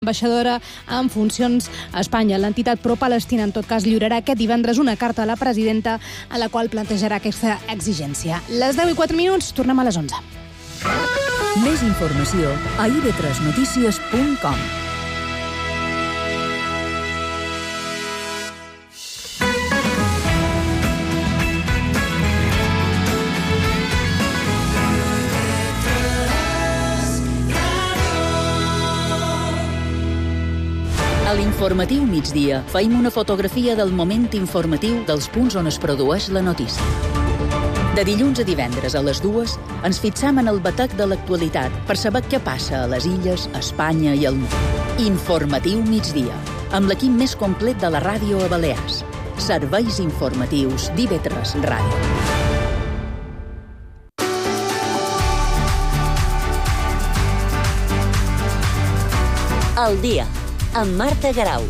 ambaixadora en funcions a Espanya. L'entitat pro-palestina, en tot cas, lliurarà aquest divendres una carta a la presidenta a la qual plantejarà aquesta exigència. Les 10:04, tornem a les 11. Més informació a ib3notícies.com. A l'informatiu migdia feim una fotografia del moment informatiu dels punts on es produeix la notícia. De dilluns a divendres a les 2 ens fixam en el batec de l'actualitat per saber què passa a les illes, a Espanya i al món. Informatiu migdia, amb l'equip més complet de la ràdio a Balears. Serveis informatius d'IV3 Ràdio. El dia, amb Marta Garau.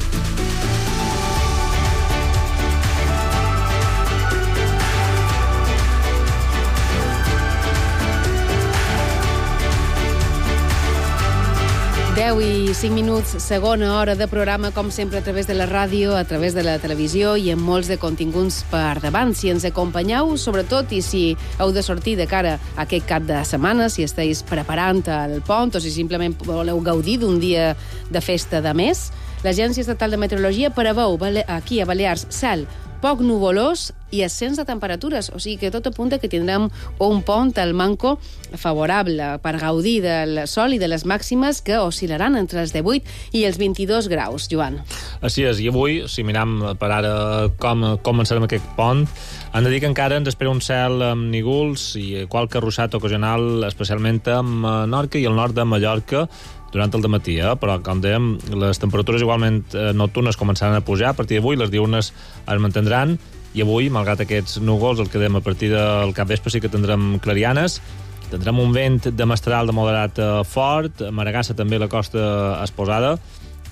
I 5 minuts, segona hora de programa, com sempre, a través de la ràdio, a través de la televisió i amb molts de continguts per davant. Si ens acompanyeu, sobretot, i si heu de sortir de cara a aquest cap de setmana, si esteu preparant el pont o si simplement voleu gaudir d'un dia de festa de mes, l'Agència Estatal de Meteorologia preveu aquí a Balears cel poc nuvolós i ascens de temperatures, o sigui que tot apunta que tindrem un pont al manco favorable per gaudir del sol i de les màximes que oscil·laran entre els 18 i els 22 graus, Joan. Així és, i avui, si miram per ara com començarem aquest pont, hem de dir que encara ens espera un cel amb nígols i qualque ruixat ocasional, especialment a Menorca i al nord de Mallorca, durant el dematí, però, com dèiem, les temperatures igualment nocturnes començaran a pujar. A partir d'avui les diurnes es mantindran i avui, malgrat aquests núvols, el que dèiem a partir del capvespre sí que tindrem clarianes. Tindrem un vent de mestral de moderat fort, a Maragassa també la costa exposada,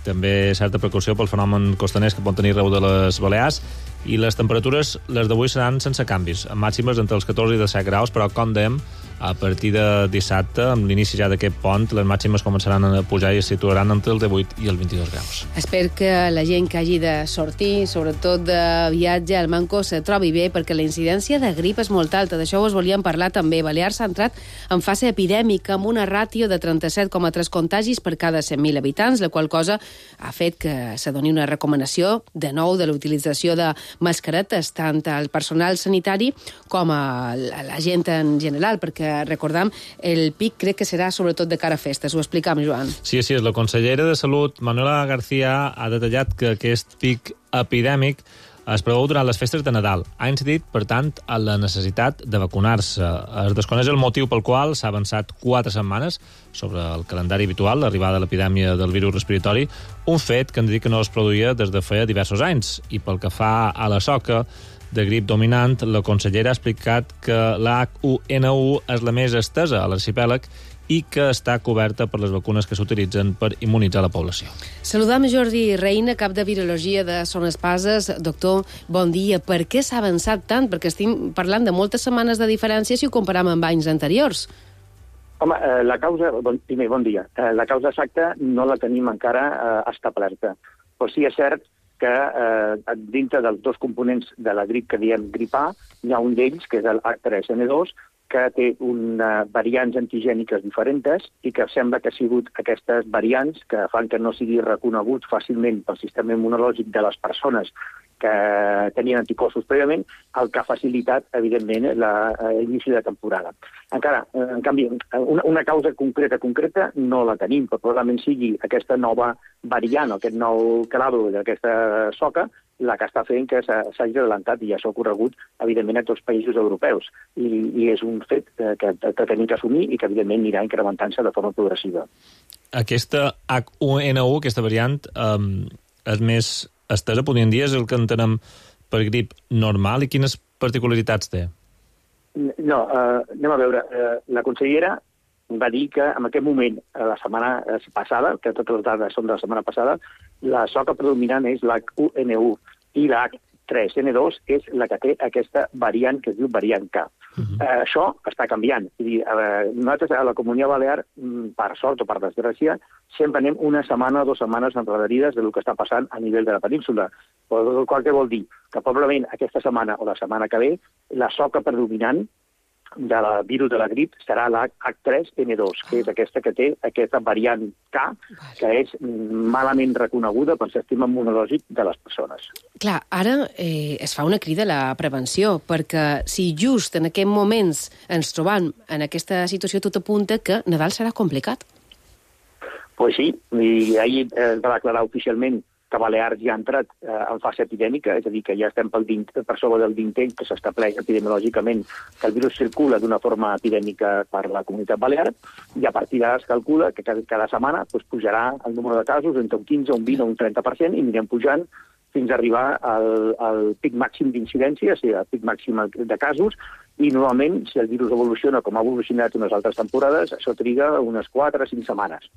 també certa precaució pel fenomen costaners que pot tenir arreu de les Balears, i les temperatures, les d'avui, seran sense canvis, amb màximes entre els 14 i 17 graus, però, com dèiem, a partir de dissabte, amb l'inici ja d'aquest pont, les màximes començaran a pujar i es situaran entre els 18 i els 22 graus. Espero que la gent que hagi de sortir, sobretot de viatge al manco, se trobi bé, perquè la incidència de grip és molt alta. D'això us volíem parlar també. Balears ha entrat en fase epidèmica amb una ràtio de 37,3 contagis per cada 100.000 habitants, la qual cosa ha fet que se doni una recomanació de nou de l'utilització de mascaretes, tant al personal sanitari com a la gent en general, perquè recordam, el pic crec que serà sobretot de cara a festes. Ho explicam, Joan. Sí, és. La consellera de Salut, Manuela García, ha detallat que aquest pic epidèmic es preveu durant les festes de Nadal. Ha incidit, per tant, a la necessitat de vacunar-se. Es desconeix el motiu pel qual s'ha avançat 4 setmanes sobre el calendari habitual, l'arribada de l'epidèmia del virus respiratori, un fet que han dit que no es produïa des de feia diversos anys. I pel que fa a la soca de grip dominant, la consellera ha explicat que la H1N1 és la més estesa a l'arxipèlag i que està coberta per les vacunes que s'utilitzen per immunitzar la població. Saludam Jordi Reina, cap de Virologia de Son Espases. Doctor, bon dia. Per què s'ha avançat tant? Perquè estem parlant de moltes setmanes de diferència si ho comparam amb anys anteriors. Home, la causa... Primer, bon dia. La causa exacta no la tenim encara establerta. Però sí és cert que dintre dels dos components de la grip que diem grip A, hi ha un d'ells, que és el H3N2, que té variants antigèniques diferents i que sembla que ha sigut aquestes variants que fan que no sigui reconegut fàcilment pel sistema immunològic de les persones que tenien anticossos prèviament, el que ha facilitat, evidentment, l'inici de temporada. Encara, en canvi, una causa concreta no la tenim, però probablement sigui aquesta nova variant, aquest nou clado d'aquesta soca, la que està fent que s'hagi adelantat, i això ha ocorregut, evidentment, a tots els països europeus. I és un fet que tenim que assumir i que, evidentment, anirà incrementant-se de forma progressiva. Aquesta H1N1, aquesta variant, és més estesa, podríem dir, és el que entenem per grip normal, i quines particularitats té? No, anem a veure. La consellera va dir que en aquest moment, la setmana passada, que totes les dades són de la setmana passada, la soca predominant és la H1N1 i la H3N2 és la que té aquesta variant que es diu variant K. Això està canviant. És dir, nosaltres a la Comunitat Balear, per sort o per desgràcia, sempre anem una setmana o 2 setmanes endarrerides del que està passant a nivell de la península. El qual què vol dir? Que probablement aquesta setmana o la setmana que ve la soca predominant del virus de la grip serà la H3N2, que és aquesta que té aquesta variant K, que és malament reconeguda pel sistema immunològic de les persones. Clar, ara es fa una crida a la prevenció, perquè si just en aquests moments ens trobam en aquesta situació, tot apunta que Nadal serà complicat. Pues sí, i ahir es va declarar oficialment que Balears ja ha entrat en fase epidèmica, és a dir, que ja estem per sobre del vintell que s'estableix epidemiològicament que el virus circula d'una forma epidèmica per la comunitat balear, i a partir d'ara es calcula que cada setmana pujarà el número de casos entre un 15, un 20 o un 30%, i anirem pujant fins a arribar al pic màxim d'incidència, o sigui, al pic màxim de casos, i normalment, si el virus evoluciona com ha evolucionat unes altres temporades, això triga unes 4 o 5 setmanes.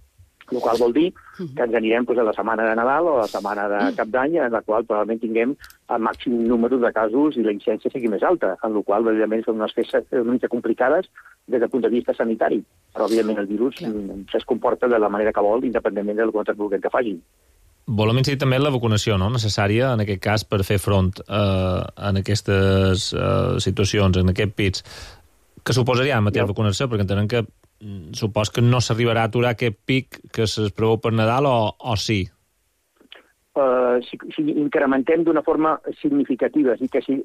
El qual vol dir que ens anirem a la setmana de Nadal o a la setmana de Cap d'Any, en la qual probablement tinguem el màxim número de casos i la incidència sigui més alta, en la qual, evidentment, són unes festes una mica complicades des del punt de vista sanitari. Però, evidentment, el virus es comporta de la manera que vol, independentment del que vulguem que facin. Volem incidir també en la vacunació, no?, necessària, en aquest cas, per fer front en aquestes situacions, en aquests pits. Què suposaria en matèria de vacunació? Perquè entenem que supos que no s'arribarà a aturar aquest pic que es preveu per Nadal o sí? Si incrementem d'una forma significativa, és a dir, que si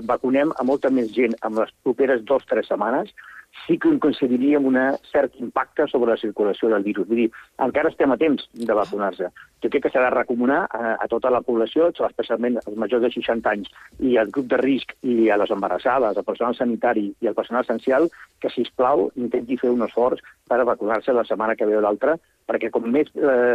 vacunem a molta més gent en les properes 2 o 3 setmanes, sí que consideraríem un cert impacte sobre la circulació del virus. Vull dir, encara estem a temps de vacunar-se. Jo crec que s'ha de recomanar a tota la població, especialment als majors de 60 anys i al grup de risc i a les embarassades, al personal sanitari i al personal essencial, que, sisplau, intenti fer un esforç per vacunar-se la setmana que ve o l'altra, perquè com més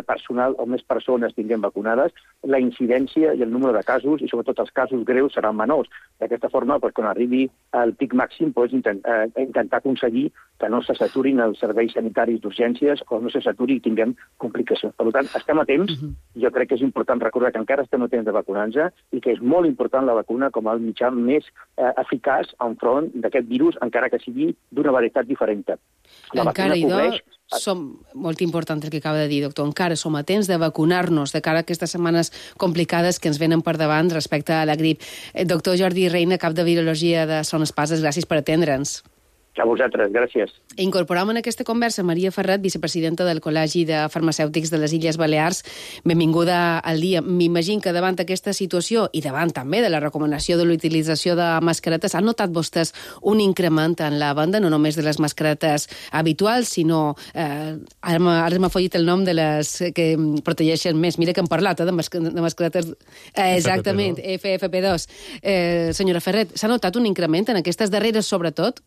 personal o més persones tinguem vacunades, la incidència i el número de casos, i sobretot els casos greus, seran menors. D'aquesta forma, quan arribi al pic màxim, intentar aconseguir que no se saturin els serveis sanitaris d'urgències o no se saturi i tinguem complicacions. Per tant, estem a temps. Jo crec que és important recordar que encara estem a temps de vacunar-nos i que és molt important la vacuna com el mitjà més eficaç enfront d'aquest virus, encara que sigui d'una varietat diferent. Encara, idò, som molt important el que acaba de dir, doctor. Encara som a temps de vacunar-nos de cara a aquestes setmanes complicades que ens venen per davant respecte a la grip. Doctor Jordi Reina, cap de Virologia de Son Espases, gràcies per atendre'ns. A vosaltres, gràcies. Incorporem en aquesta conversa Maria Ferrat, vicepresidenta del Col·legi de Farmacèutics de les Illes Balears. Benvinguda al dia. M'imagino que davant aquesta situació i davant també de la recomanació de l'utilització de mascaretes, han notat vostès un increment en la venda, no només de les mascaretes habituals, sinó, ara m'ha follit el nom de les que protegeixen més. Mira que hem parlat de mascaretes... Exactament, FFP2. Senyora Ferret, s'ha notat un increment en aquestes darreres, sobretot?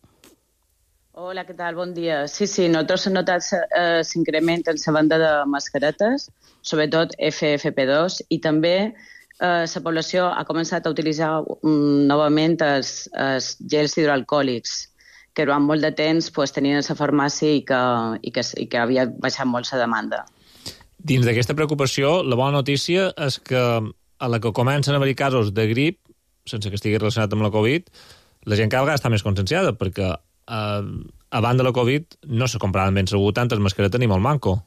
Hola, què tal? Bon dia. Sí, nosaltres hem notat s'increment en la venda de mascaretes, sobretot FFP2, i també la població ha començat a utilitzar novament els gels hidroalcohòlics, que durant molt de temps tenien a la farmàcia i que havia baixat molt la demanda. Dins d'aquesta preocupació, la bona notícia és que a la que comencen a haver casos de grip, sense que estigui relacionat amb la Covid, la gent cada vegada està més conscienciada, perquè abans de la Covid no se compraven ben segur tantes mascaretes ni molt manco.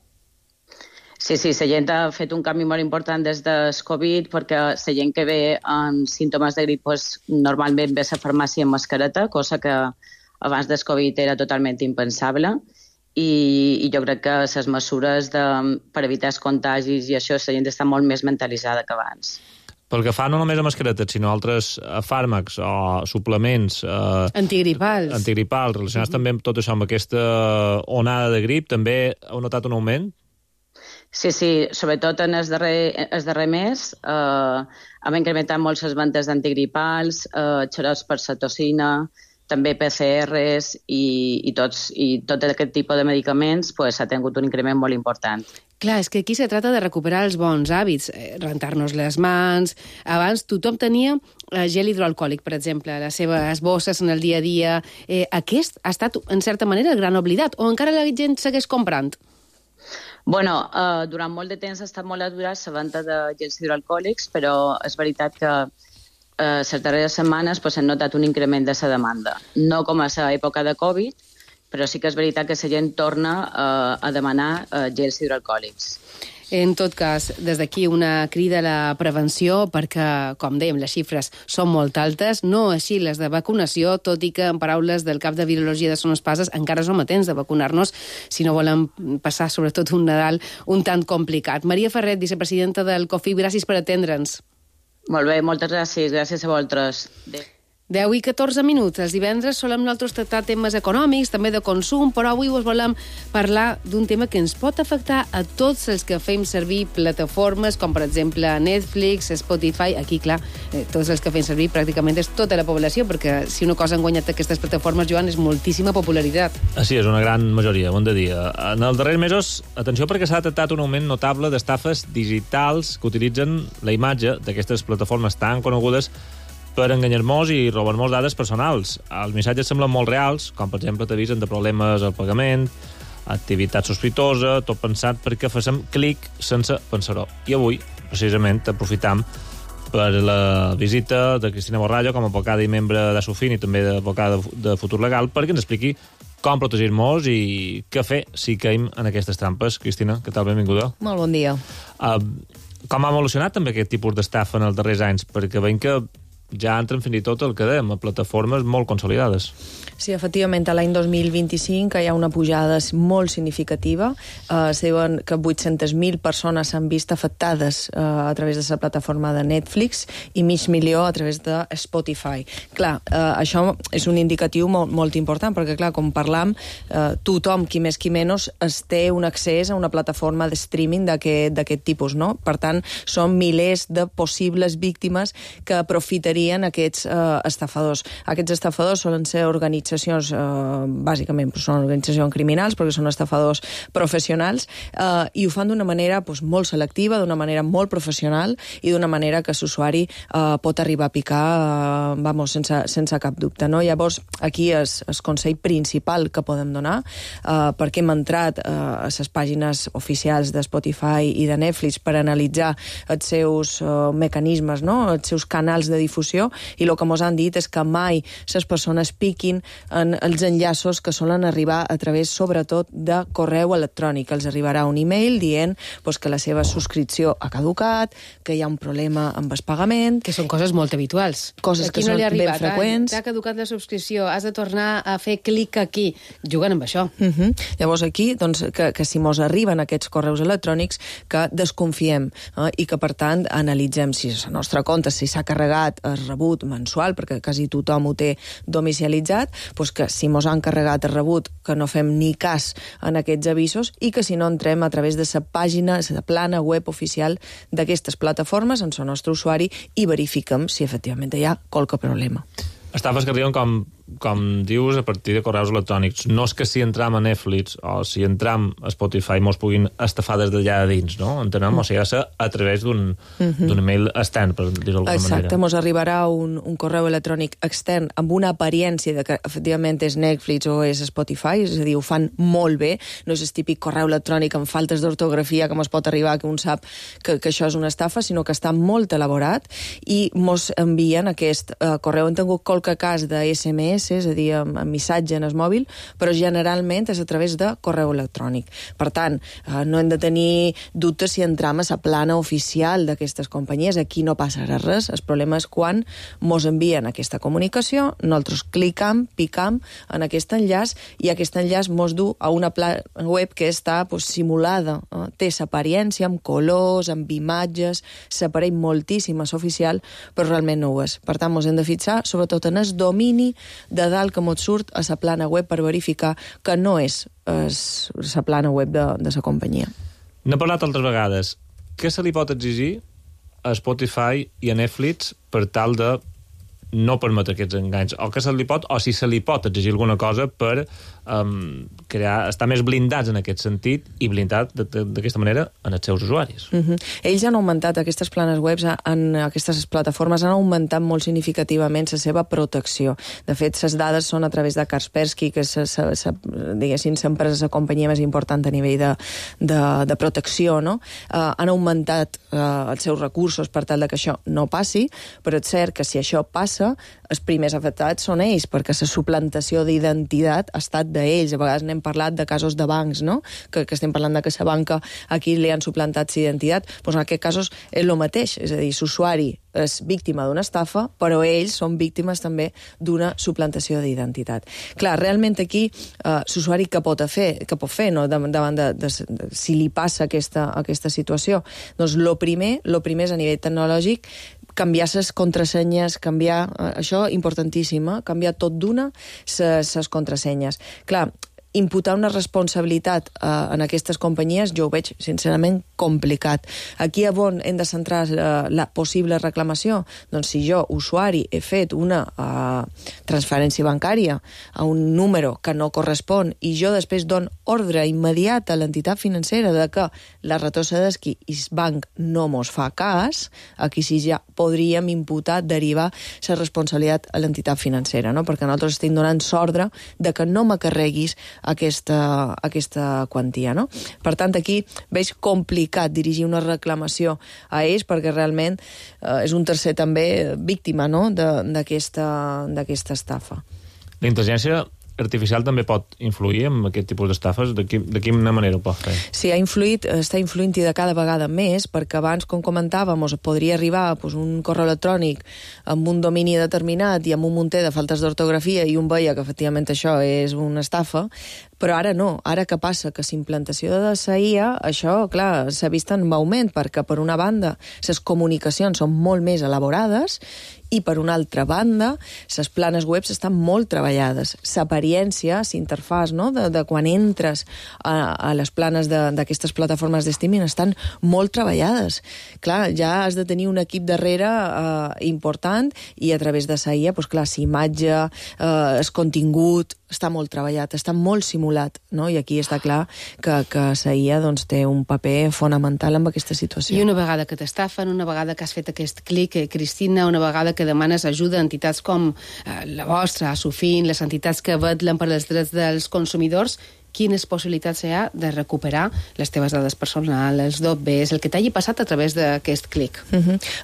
Sí, la gent ha fet un canvi molt important des del Covid, perquè la gent que ve amb símptomes de grip normalment ve a la farmàcia amb mascareta, cosa que abans del Covid era totalment impensable, i jo crec que les mesures per evitar els contagis i això, la gent està molt més mentalitzada que abans. Pel que fa no només a mascaretes, sinó a altres fàrmacs o suplements... Antigripals, relacionats també amb tot això, amb aquesta onada de grip, també heu notat un augment? Sí, sobretot en el darrer mes hem incrementat molt les vendes d'antigripals, xarops per cetosina, també PCRs i tot aquest tipus de medicaments ha tingut un increment molt important. Clar, és que aquí se trata de recuperar els bons hàbits, rentar-nos les mans. Abans tothom tenia gel hidroalcohòlic, per exemple, les seves bosses en el dia a dia. Aquest ha estat, en certa manera, el gran oblidat, o encara la gent segueix comprant? Bueno, durant molt de temps ha estat molt aturat la venda de gels hidroalcohòlics, però és veritat que les darreres setmanes hem notat un increment de la demanda. No com a l'època de Covid, però sí que és veritat que la gent torna a demanar gels hidroalcohòlics. En tot cas, des d'aquí una crida a la prevenció perquè, com dèiem, les xifres són molt altes, no així les de vacunació, tot i que, en paraules del cap de Virologia de Son Espases, encara som a temps de vacunar-nos si no volem passar, sobretot, un Nadal un tant complicat. Maria Ferret, vicepresidenta del COFIB, gràcies per atendre'ns. Molt bé, moltes gràcies. Gràcies a vosaltres. 10 i 14 minuts. Els divendres solem nosaltres tractar temes econòmics, també de consum, però avui us volem parlar d'un tema que ens pot afectar a tots els que fem servir plataformes com, per exemple, Netflix, Spotify. Aquí, clar, tots els que fem servir pràcticament és tota la població, perquè si una cosa han guanyat aquestes plataformes, Joan, és moltíssima popularitat. Sí, és una gran majoria, ho hem de dir. En els darrers mesos, atenció perquè s'ha detectat un augment notable d'estafes digitals que utilitzen la imatge d'aquestes plataformes tan conegudes per enganyar-nos i robar-nos dades personals. Els missatges semblen molt reals, com per exemple t'avisen de problemes al pagament, activitat sospitosa, tot pensat perquè fem clic sense pensar-ho. I avui, precisament, aprofitam per la visita de Cristina Borrallo com a advocada i membre de Sofin i també advocada de Futur Legal perquè ens expliqui com protegir-nos i què fer si caim en aquestes trampes. Cristina, què tal? Benvinguda. Molt bon dia. Com ha evolucionat també aquest tipus d'estafa en els darrers anys? Perquè veiem que ja entren fins i tot el que dèiem, a plataformes molt consolidades. Sí, efectivament, l'any 2025 hi ha una pujada molt significativa. Es diuen que 800.000 persones s'han vist afectades a través de la plataforma de Netflix i 500.000 a través de Spotify. Clar, això és un indicatiu molt important, perquè, clar, com parlam, tothom, qui més qui menys, es té un accés a una plataforma de streaming d'aquest tipus, no? Per tant, són milers de possibles víctimes que aprofitarien aquests estafadors. Aquests estafadors solen ser organitzacions, bàsicament són organitzacions criminals, perquè són estafadors professionals, i ho fan d'una manera molt selectiva, d'una manera molt professional i d'una manera que l'usuari pot arribar a picar sense cap dubte. No? Llavors, aquí és el consell principal que podem donar, perquè hem entrat a les pàgines oficials de Spotify i de Netflix per analitzar els seus mecanismes, no? Els seus canals de difusió, i el que ens han dit és que mai les persones piquin en els enllaços que solen arribar a través, sobretot, de correu electrònic. Els arribarà un e-mail dient que la seva subscripció ha caducat, que hi ha un problema amb el pagament... Que són coses molt habituals. Coses que són ben freqüents. T'ha caducat la subscripció, has de tornar a fer clic aquí. Juguen amb això. Llavors aquí, que si mos arriben aquests correus electrònics, que desconfiem i que, per tant, analitzem si la nostra compte, si s'ha carregat el rebut mensual, perquè quasi tothom ho té domicilialitzat, que si mos han carregat el rebut, que no fem ni cas en aquests avisos i que si no entrem a través de la pàgina, la plana web oficial d'aquestes plataformes en el nostre usuari i verifiquem si efectivament hi ha qualque problema. Estafes que arriben, com dius, a partir de correus electrònics. No és que si entram a Netflix o si entram a Spotify mos puguin estafar des d'allà a dins, no? Entenem? O sigui, ha de ser a través d'un email extern, per dir-ho d'alguna manera. Exacte, mos arribarà un correu electrònic extern amb una apariència de que efectivament és Netflix o és Spotify, és a dir, ho fan molt bé, no és el típic correu electrònic amb faltes d'ortografia que mos pot arribar, que un sap que això és una estafa, sinó que està molt elaborat i mos envien aquest correu. Hem tingut qualque cas de SMS, és a dir, amb missatge en el mòbil, però generalment és a través de correu electrònic. Per tant, no hem de tenir dubtes si entram a la plana oficial d'aquestes companyies. Aquí no passarà res. El problema és quan mos envien aquesta comunicació, nosaltres clicam, picam en aquest enllaç i aquest enllaç mos du a una plana web que està simulada. Té l'apariència amb colors, amb imatges, s'apareix moltíssim a l'oficial, però realment no ho és. Per tant, mos hem de fixar sobretot en el domini de dalt que mos surt a la plana web per verificar que no és la plana web de la companyia. N'he parlat altres vegades. Què se li pot exigir a Spotify i a Netflix per tal de no permetre aquests enganys, o que se li pot, o si se li pot exigir alguna cosa per estar més blindats en aquest sentit i blindats d'aquesta manera en els seus usuaris. Ells han augmentat, aquestes planes webs, aquestes plataformes han augmentat molt significativament la seva protecció. De fet, les dades són a través de Kaspersky, que és, diguéssim, sempre és la companyia més important a nivell de protecció, no? Han augmentat els seus recursos per tal que això no passi, però és cert que si això passa, els primers afectats són ells, perquè la suplantació d'identitat ha estat d'ells. A vegades n'hem parlat de casos de bancs, no? Que estem parlant de que la banca aquí li han suplantat l'identitat. Doncs en aquests casos és el mateix, és a dir, l'usuari és víctima d'una estafa, però ells són víctimes també d'una suplantació d'identitat. Clar, realment aquí l'usuari què pot fer no? davant de si li passa aquesta situació? Doncs el primer és a nivell tecnològic canviar les contrasenyes, això importantíssim, canviar tot d'una les contrasenyes. Clar, imputar una responsabilitat en aquestes companyies jo ho veig sincerament complicat. Aquí on hem de centrar la possible reclamació? Doncs si jo, usuari, he fet una transferència bancària a un número que no correspon i jo després dono ordre immediat a l'entitat financera de que la retrocedesqui i el banc no mos fa cas, aquí sí ja podríem imputar, derivar la responsabilitat a l'entitat financera, no? Perquè nosaltres estem donant l'ordre de que no m'acarreguis aquesta quantia, no? Per tant, aquí veig complicat dirigir una reclamació a ells perquè realment és un tercer també víctima, no? d'aquesta estafa. La intel·ligència artificial també pot influir en aquest tipus d'estafes? De quina manera ho pot fer? Sí, està influint-hi de cada vegada més, perquè abans, com comentàvem, podria arribar un correu electrònic amb un domini determinat i amb un munter de faltes d'ortografia i un veia que efectivament això és una estafa, però ara no. Ara què passa? Que la implantació de la IA, això, clar, s'ha vist en augment, perquè per una banda les comunicacions són molt més elaborades i per una altra banda les planes webs estan molt treballades. L'experiència, l'interfàs, no? de quan entres a les planes d'aquestes plataformes de streaming estan molt treballades. Clar, ja has de tenir un equip darrere important i a través de la IA, doncs clar, l'imatge, el contingut, està molt treballat, està molt simulat, no? I aquí està clar que la IA doncs, té un paper fonamental en aquesta situació. I una vegada que t'estafen, una vegada que has fet aquest clic, Cristina, una vegada que demanes ajuda a entitats com la vostra, a Sofin, les entitats que vetllen per als drets dels consumidors, quines possibilitats hi ha de recuperar les teves dades personals, els DOBs, el que t'hagi passat a través d'aquest clic.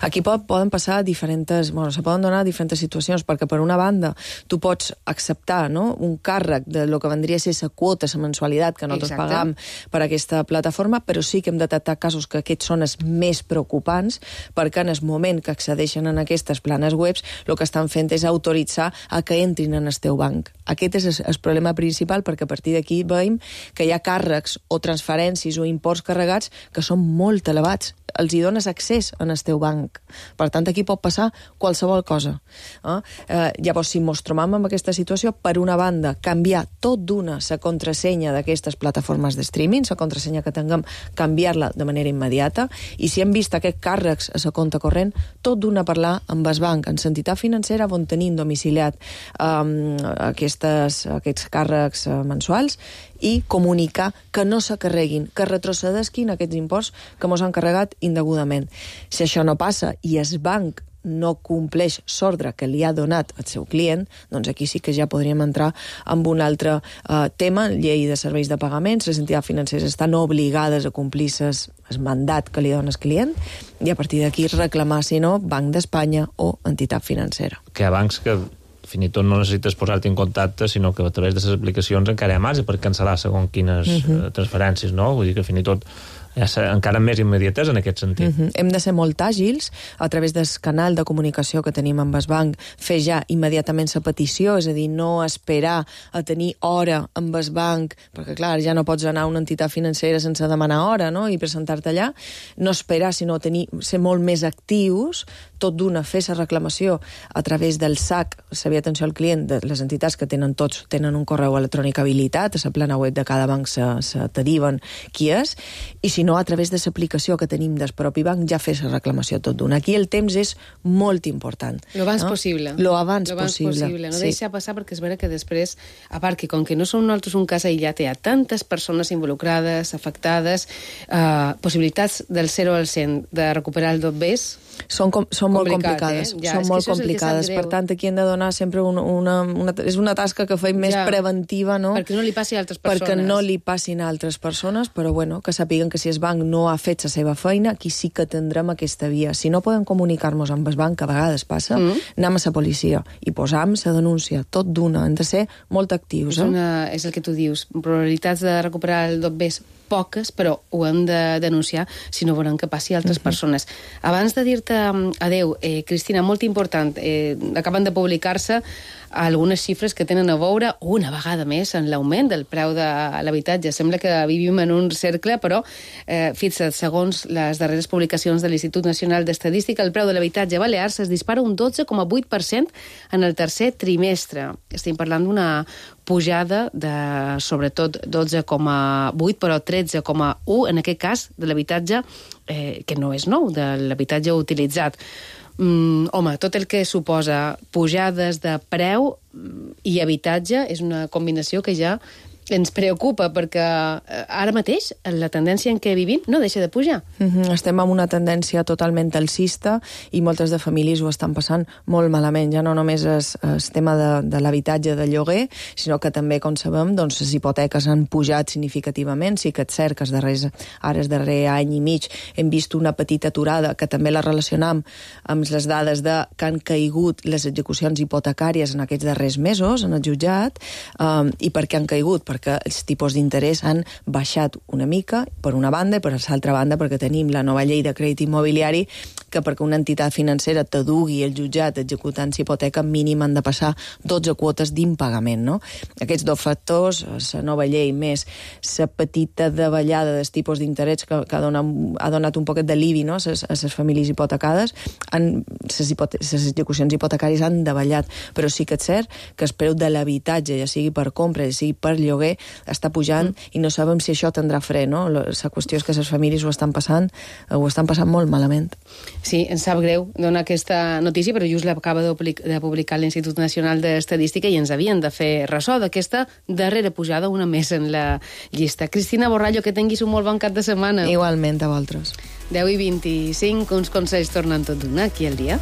Aquí poden passar se poden donar diferents situacions, perquè per una banda tu pots acceptar, no, un càrrec de lo que vendria a ser la quota, la mensualitat que nosaltres pagam per aquesta plataforma, però sí que hem de detectar casos que aquests són els més preocupants, perquè en el moment que accedeixen en aquestes planes webs, el que estan fent és autoritzar a que entrin en el teu banc. Aquest és el problema principal, perquè a partir d'aquí veiem que hi ha càrrecs o transferències o imports carregats que són molt elevats. Els hi dones accés en el teu banc. Per tant, aquí pot passar qualsevol cosa. Llavors, si ens trobam en aquesta situació, per una banda, canviar tot d'una la contrasenya d'aquestes plataformes de streaming, la contrasenya que tinguem, canviar-la de manera immediata, i si hem vist aquests càrrecs a la compte corrent, tot d'una parlar amb el banc, en l'entitat financera on tenim domiciliat aquests càrrecs mensuals, i comunicar que no s'acarreguin, que retrocedesquin aquests imports que ens han carregat indegudament. Si això no passa i el banc no compleix l'ordre que li ha donat al seu client, doncs aquí sí que ja podríem entrar en un altre tema, llei de serveis de pagaments. Les entitats financeres estan obligades a complir el mandat que li dona el client i a partir d'aquí reclamar, si no, Banc d'Espanya o entitat financera. Que hi ha bancs que fins i tot no necessites posar-te en contacte, sinó que a través de les aplicacions encara hi ha marge per cancel·lar segons quines transferències, no? Vull dir que fins i tot hi ha encara més immediatesa en aquest sentit. Hem de ser molt àgils a través del canal de comunicació que tenim amb el banc, fer ja immediatament la petició, és a dir, no esperar a tenir hora amb el banc, perquè clar, ja no pots anar a una entitat financera sense demanar hora, no?, i presentar-te allà, no esperar, sinó ser molt més actius, tot d'una fer la reclamació a través del SAC, Servei d'Atenció al Client, de les entitats que tenen un correu electrònic habilitat, a la plana web de cada banc te diuen qui és, i si no, a través de l'aplicació que tenim del propi banc ja fer la reclamació tot d'una. Aquí el temps és molt important. Lo abans possible. Lo abans possible. No deixa passar, perquè és vera que després, a part que com que no som nosaltres un cas aïllat, hi ha tantes persones involucrades, afectades, possibilitats del 0 al 100 de recuperar el dot-bés, són molt complicades. Són molt complicades. Per tant, aquí hem de donar sempre és una tasca que fem més preventiva, no? Perquè no li passi a altres persones. Perquè no li passin a altres persones, però bueno, que sàpiguen que si el banc no ha fet la seva feina, aquí sí que tindrem aquesta via. Si no podem comunicar-nos amb el banc, que a vegades passa, anem a la policia i posam la denúncia, tot d'una. Hem de ser molt actius. És el que tu dius. Probabilitats de recuperar el dot-bés poques, però ho hem de denunciar si no volem que passi a altres persones. Abans de dir-te adeu, Cristina, molt important, acaben de publicar-se algunes xifres que tenen a veure una vegada més en l'augment del preu de l'habitatge. Sembla que vivim en un cercle, però fixa't, segons les darreres publicacions de l'Institut Nacional d'Estadística, el preu de l'habitatge a Balears es dispara un 12,8% en el tercer trimestre. Estem parlant d'una pujada de, sobretot, 12,8, però 13,1, en aquest cas, de l'habitatge que no és nou, de l'habitatge utilitzat. Home, tot el que suposa pujades de preu i habitatge és una combinació que ja ens preocupa, perquè ara mateix la tendència en què vivim no deixa de pujar. Estem en una tendència totalment alcista i moltes de famílies ho estan passant molt malament. Ja no només és el tema de l'habitatge de lloguer, sinó que també, com sabem, doncs, les hipoteques han pujat significativament. Sí que és cert que ara el darrer any i mig hem vist una petita aturada, que també la relacionam amb les dades que han caigut les execucions hipotecàries en aquests darrers mesos en el jutjat. I per què han caigut? Perquè els tipus d'interès han baixat una mica, per una banda, i per l'altra banda perquè tenim la nova llei de crèdit immobiliari, que perquè una entitat financera t'adugui el jutjat executant hipoteca, mínim han de passar 12 quotes d'impagament, no? Aquests dos factors, la nova llei més la petita davallada dels tipus d'interès que ha donat un poquet d'alivi, no?, a les famílies hipotecades, les execucions hipotecàries han davallat, però sí que és cert que el preu de l'habitatge, ja sigui per compra, ja sigui per lloguer, està pujant i no sabem si això tindrà fre, no? La qüestió és que les famílies ho estan passant molt malament. Sí, ens sap greu donar aquesta notícia, però just l'acaba de publicar l'Institut Nacional d'Estadística i ens havien de fer ressò d'aquesta darrera pujada, una més en la llista. Cristina Borrallo, que tinguis un molt bon cap de setmana. Igualment a vosaltres. 10:25, uns consells tornen tot d'una aquí al dia.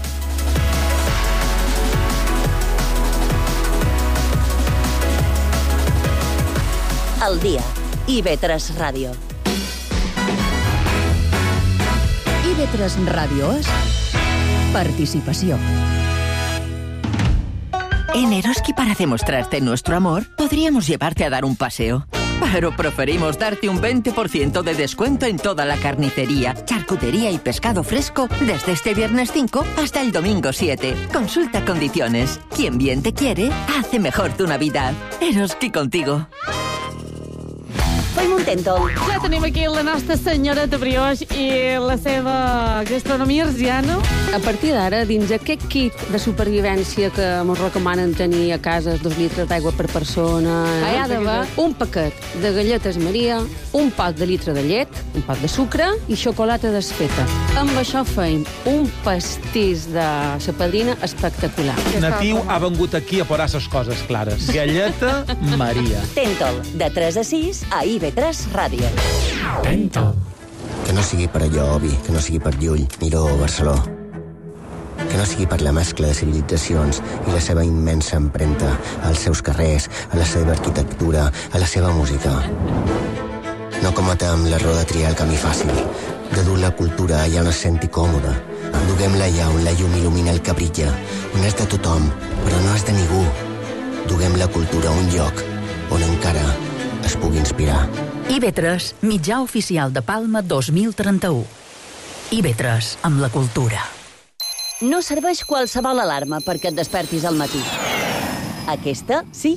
Al dia. IB3 Ràdio. IB3 Ràdio és participació. En Eroski, para demostrarte nuestro amor, podríamos llevarte a dar un paseo. Pero preferimos darte un 20% de descuento en toda la carnicería, charcutería y pescado fresco desde este viernes 5 hasta el domingo 7. Consulta condiciones. Quien bien te quiere, hace mejor tu Navidad. Eroski contigo. Fem un tèntol. Ja tenim aquí la nostra senyoreta Brioix i la seva gastronomia arsiana. A partir d'ara, dins aquest kit de supervivència que ens recomanen tenir a casa 2 litres d'aigua per persona, hi ha d'haver un paquet de galletes Maria, un pot de litre de llet, un pot de sucre i xocolata desfeta. Amb això feim un pastís de sa padrina espectacular. Natiu ha vengut aquí a posar les coses clares. Galleta Maria. Tèntol, de 3 a 6 a IB3 Ràdio. Tèntol. Que no sigui per allò, Obi, que no sigui per Llull, Miró o Barceló. Que no sigui per la mescla de civilitzacions i la seva immensa empremta als seus carrers, a la seva arquitectura, a la seva música. No cometem l'error de triar el camí fàcil, de dur la cultura allà on es senti còmode. Duguem-la allà on la llum il·lumina el que brilla, on és de tothom, però no és de ningú. Duguem la cultura a un lloc on encara es pugui inspirar. IB3, mitjà oficial de Palma 2031. IB3, amb la cultura. No serveix qualsevol alarma perquè et despertis al matí. Aquesta, sí.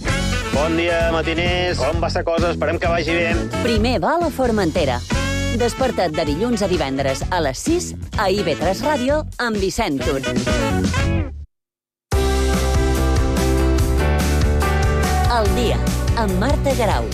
Bon dia, matiners. Com va la cosa? Esperem que vagi bé. Primer va a la Formentera. Desperta't de dilluns a divendres a les 6 a IB3 Ràdio amb Vicent Tur. El dia, amb Marta Garau.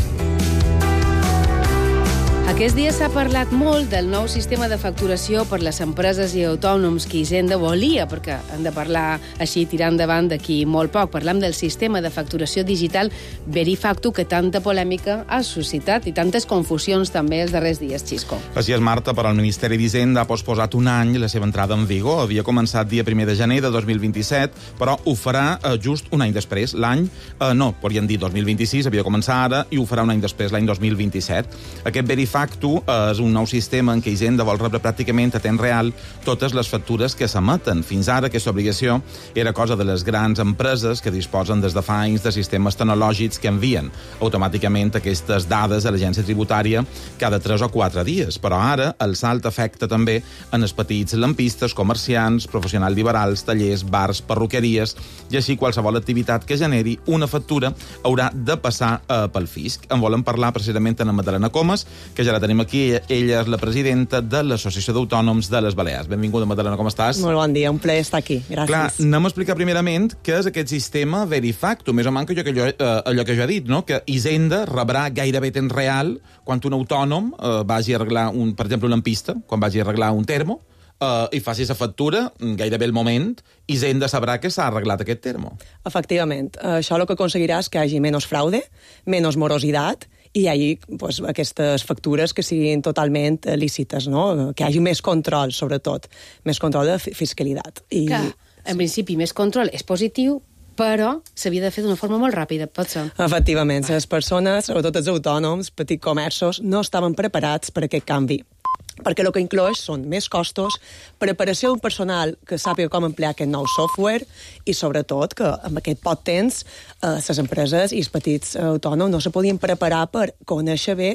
Aquests dies s'ha parlat molt del nou sistema de facturació per les empreses i autònoms que Hisenda volia, perquè hem de parlar així tirant endavant d'aquí molt poc. Parlam del sistema de facturació digital Verifactu, que tanta polèmica ha suscitat i tantes confusions també els darrers dies, Xisco. Així és, Marta, però el Ministeri d'Hisenda ha posposat un any la seva entrada en vigor. Havia començat dia 1 de gener de 2027, però ho farà just un any després. No, podríem dir 2026, havia de començar ara, i ho farà un any després, l'any 2027. Aquest Verifactu és un nou sistema en què Hisenda vol rebre pràcticament a temps real totes les factures que s'emeten. Fins ara aquesta obligació era cosa de les grans empreses que disposen des de fa anys de sistemes tecnològics que envien automàticament aquestes dades a l'agència tributària cada 3 o 4 dies. Però ara el salt afecta també en els petits lampistes, comerciants, professionals liberals, tallers, bars, perruqueries i així qualsevol activitat que generi una factura haurà de passar pel fisc. En volem parlar precisament amb Madalena Comas, que ja la tenim aquí. Ella és la presidenta de l'Associació d'Autònoms de les Balears. Benvinguda, Madalena, com estàs? Molt bon dia, un plaer estar aquí. Gràcies. Clar, anem a explicar primerament què és aquest sistema Verifactu. Més o menys allò que jo he dit, no? Que Hisenda rebrà gairebé temps real quan un autònom vagi a arreglar, per exemple, una lampista, quan vagi a arreglar un termo, i faci la factura, gairebé el moment, Hisenda sabrà que s'ha arreglat aquest termo. Efectivament. Això el que aconseguirà és que hi hagi menys fraude, menys morositat, i hi hagi aquestes factures que siguin totalment lícites, no? Que hi hagi més control, sobretot. Més control de fiscalitat. Clar, en principi, més control és positiu, però s'havia de fer d'una forma molt ràpida, pot ser. Efectivament, les persones, sobretot els autònoms, petits comerços, no estaven preparats per aquest canvi. Perquè el que incloeix són més costos, preparació d'un personal que sàpiga com emplear aquest nou software i, sobretot, que amb aquest poc temps les empreses i els petits autònoms no se podien preparar per conèixer bé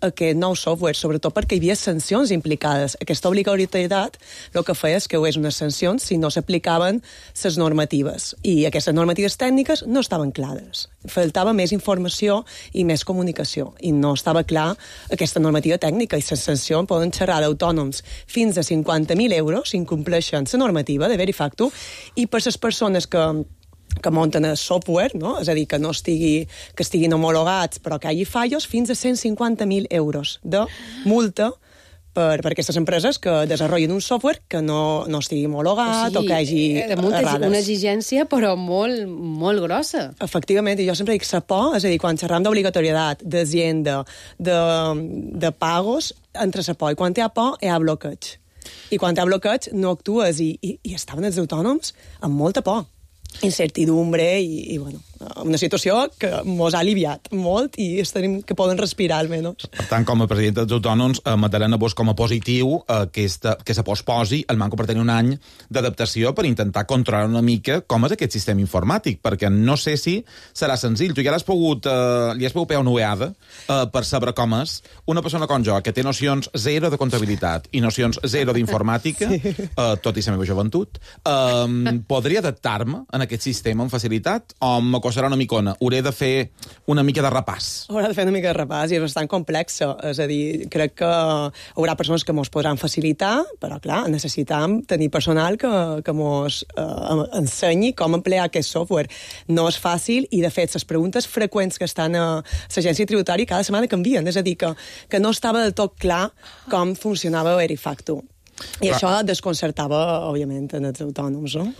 aquest nou software, sobretot perquè hi havia sancions implicades. Aquesta obligatorietat el que feia és que hi hagués unes sancions si no s'aplicaven les normatives. I aquestes normatives tècniques no estaven clares. Faltava més informació i més comunicació. I no estava clar aquesta normativa tècnica i les sancions poden xerrar d'autònoms fins a 50.000 euros si incompleixen la normativa de Verifactu, i per les persones que munten el software, no? És a dir, que estiguin homologats però que hi hagi fallos, fins a 150.000 euros de multa per aquestes empreses que desenvolupen un software que no estigui homologat o que hagi errades. Una exigència, però molt, molt grossa. Efectivament, i jo sempre dic la por, és a dir, quan xerram d'obligatorietat, d'Hisenda, de pagos, entre la por. I quan hi ha por, hi ha bloqueig. I quan hi ha bloqueig, no actues. I estaven els autònoms amb molta por, incertidumbre i bueno, una situació que mos ha aliviat molt i tenim que poden respirar, almenys. Per tant, com a presidenta dels autònoms, Madalena, vos com a positiu que se posposi el manco per tenir un any d'adaptació per intentar controlar una mica com és aquest sistema informàtic, perquè no sé si serà senzill. Tu ja li has pogut pegar una ueada per saber com és una persona com jo, que té nocions zero de comptabilitat i nocions zero d'informàtica, tot i la meva joventut, podria adaptar-me en aquest sistema amb facilitat o serà una micona? Hauré de fer una mica de repàs. Haurà de fer una mica de repàs i és bastant complexa. És a dir, crec que hi haurà persones que mos podran facilitar, però, clar, necessitam tenir personal que mos ensenyi com emplear aquest software. No és fàcil i, de fet, les preguntes freqüents que estan a l'agència tributària cada setmana canvien. És a dir, que no estava del tot clar com funcionava Verifactu. I això desconcertava, òbviament, en els autònoms, no?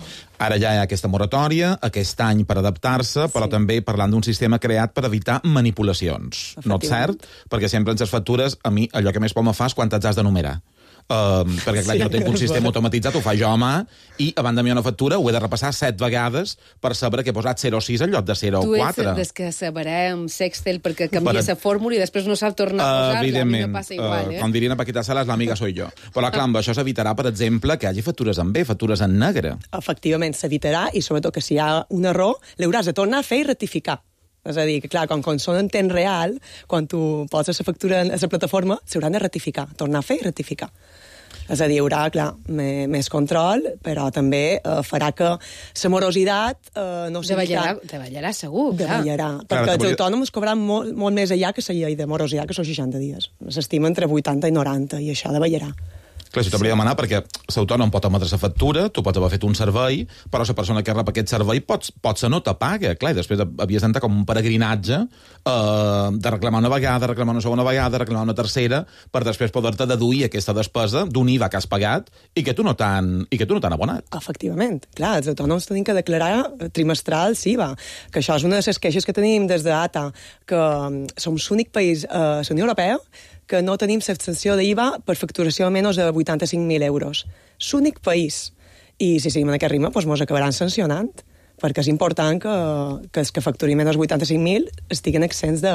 Ara ja hi ha aquesta moratòria, aquest any per adaptar-se, però també parlant d'un sistema creat per evitar manipulacions. No és cert? Perquè sempre en les factures, a mi, allò que més por me fa és quan t'has de numerar. Perquè, clar, jo tinc un sistema automatitzat, ho fa jo a mà, i abans de mi una factura ho he de repassar 7 vegades per saber que he posat 0,6 en lloc de 0,4. Tu ets des que sabrà amb Sextel perquè canvia la fórmula i després no sap tornar a posar-la. A mi no passa igual, com dirien a Paquita Salas, l'amiga soy jo. Però, clar, amb això s'evitarà, per exemple, que hi hagi factures en B, factures en negre. Efectivament, s'evitarà, i sobretot que si hi ha un error, l'hauràs de tornar a fer i rectificar. És a dir, que clar, quan són en temps real, quan tu poses la factura a la plataforma, s'hauran de rectificar, tornar a fer i rectificar. És a dir, hi haurà, clar, més control, però també farà que la morositat no sigui davallarà segur, clar. Davallarà, perquè els autònoms cobraran molt més allà que la llei de morositat, que són 60 dies. S'estima entre 80 i 90, i això davallarà. Clar, això t'hauria de demanar perquè l'autònom pot emetre la factura, tu pots haver fet un servei, però la persona que rep aquest servei pot ser no te paga. Clar, i després havies d'entrar com un peregrinatge de reclamar una vegada, reclamar una segona vegada, reclamar una tercera, per després poder-te deduir aquesta despesa d'un IVA que has pagat i que tu no t'han abonat. Efectivament. Clar, els autònoms tenim que declarar trimestral IVA, que això és una de les queixes que tenim des d'ATA, que som l'únic país a la Unió Europea que no tenim l'exempció d'IVA per facturació a menys de 85.000 euros. L'únic país. I si seguim en aquest ritme, doncs mos acabaran sancionant, perquè és important que els que facturin menys de 85.000 estiguin exempts de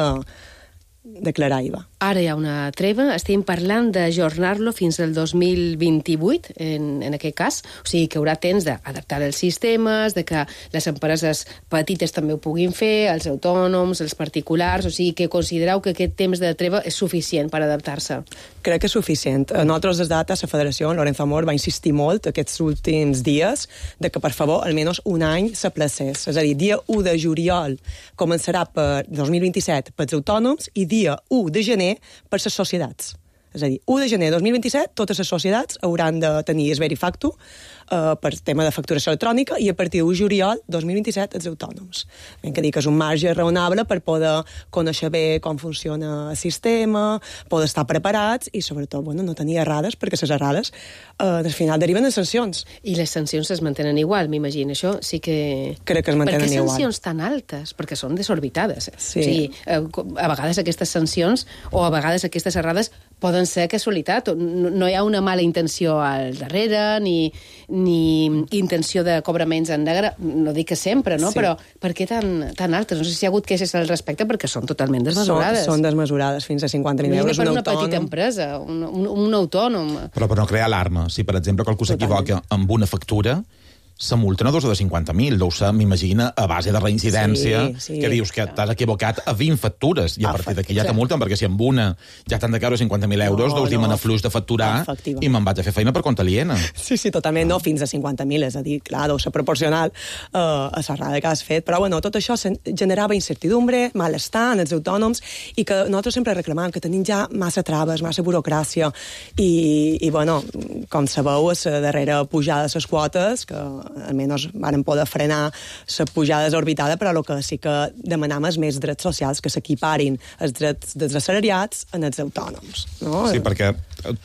declarar IVA. Ara hi ha una treva, estem parlant d'ajornar-lo fins al 2028, en aquest cas, o sigui que hi haurà temps d'adaptar els sistemes, de que les empreses petites també ho puguin fer, els autònoms, els particulars, o sigui que considereu que aquest temps de treva és suficient per adaptar-se? Crec que és suficient. Nosaltres, des d'ATA, la Federació, Lorenzo Amor, va insistir molt aquests últims dies de que, per favor, almenys un any s'aplacés. És a dir, dia 1 de juliol començarà per 2027 pels autònoms i dia 1 de gener per les societats. És a dir, 1 de gener de 2027, totes les societats hauran de tenir el Verifactu per tema de facturació electrònica i a partir de 1 de juliol 2027 els autònoms. Hem de dir que és un marge raonable per poder conèixer bé com funciona el sistema, poder estar preparats i, sobretot, no tenir errades, perquè les errades al final deriven en sancions. I les sancions es mantenen igual, m'imagino. Això sí que... Crec que es mantenen igual. Per què sancions tan altes? Perquè són desorbitades. Sí. O sigui, a vegades aquestes sancions o a vegades aquestes errades poden ser casualitat. No hi ha una mala intenció al darrere, ni intenció de cobraments en negre, no dic que sempre, no? Sí. Però per què tan altes? No sé si hi ha hagut queixes al respecte, perquè són totalment desmesurades. Són desmesurades, fins a 50.000 euros per una petita empresa, un autònom. Però per no crear alarma, si per exemple qualcú s'equivoca amb una factura, la multa no deu ser de 50.000, deu ser, m'imagina, a base de reincidència, que dius que t'has equivocat a 20 factures, i a partir d'aquí ja te multen, perquè si amb una ja t'han de caure 50.000 euros, deus dir, me n'afluix de facturar i me'n vaig a fer feina per compte aliena. Sí, totalment, no, fins a 50.000, és a dir, clar, deu ser proporcional a l'errada que has fet, però tot això generava incertidumbre, malestar en els autònoms, i que nosaltres sempre reclamàvem que tenim ja massa traves, massa burocràcia, i com sabeu, a la darrera pujada de les quotes, que almenys van poder frenar la pujada desorbitada, però el que sí que demanam és més drets socials, que s'equiparin els drets dels assalariats en els autònoms. No? Sí, perquè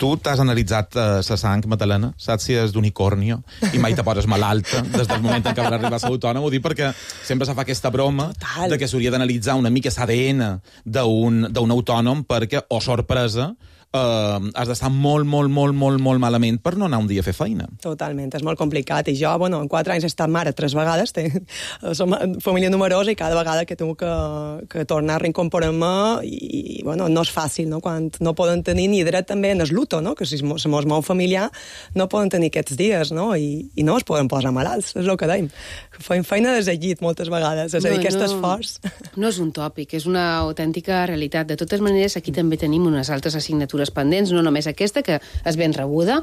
tu t'has analitzat la sang, Madalena, saps si és d'unicornio i mai te poses malalta des del moment en què vas arribar a ser autònom, ho dic perquè sempre se fa aquesta broma de que s'hauria d'analitzar una mica l'ADN d'un autònom perquè, oh sorpresa, has d'estar molt malament per no anar un dia a fer feina. Totalment, és molt complicat. I jo, en 4 anys he estat mare 3 vegades, som família numerosa i cada vegada que tinc que tornar a reincorporar-me i no és fàcil, no? Quan no poden tenir ni dret també en el luto, no? Que si mos mou familiar no poden tenir aquests dies, no? I no es poden posar malalts, és el que dèiem. Fem feina des del llit moltes vegades, és a dir, aquest esforç. No és un tòpic, és una autèntica realitat. De totes maneres, aquí també tenim unes altres assignatures pendents, no només aquesta, que és ben rebuda,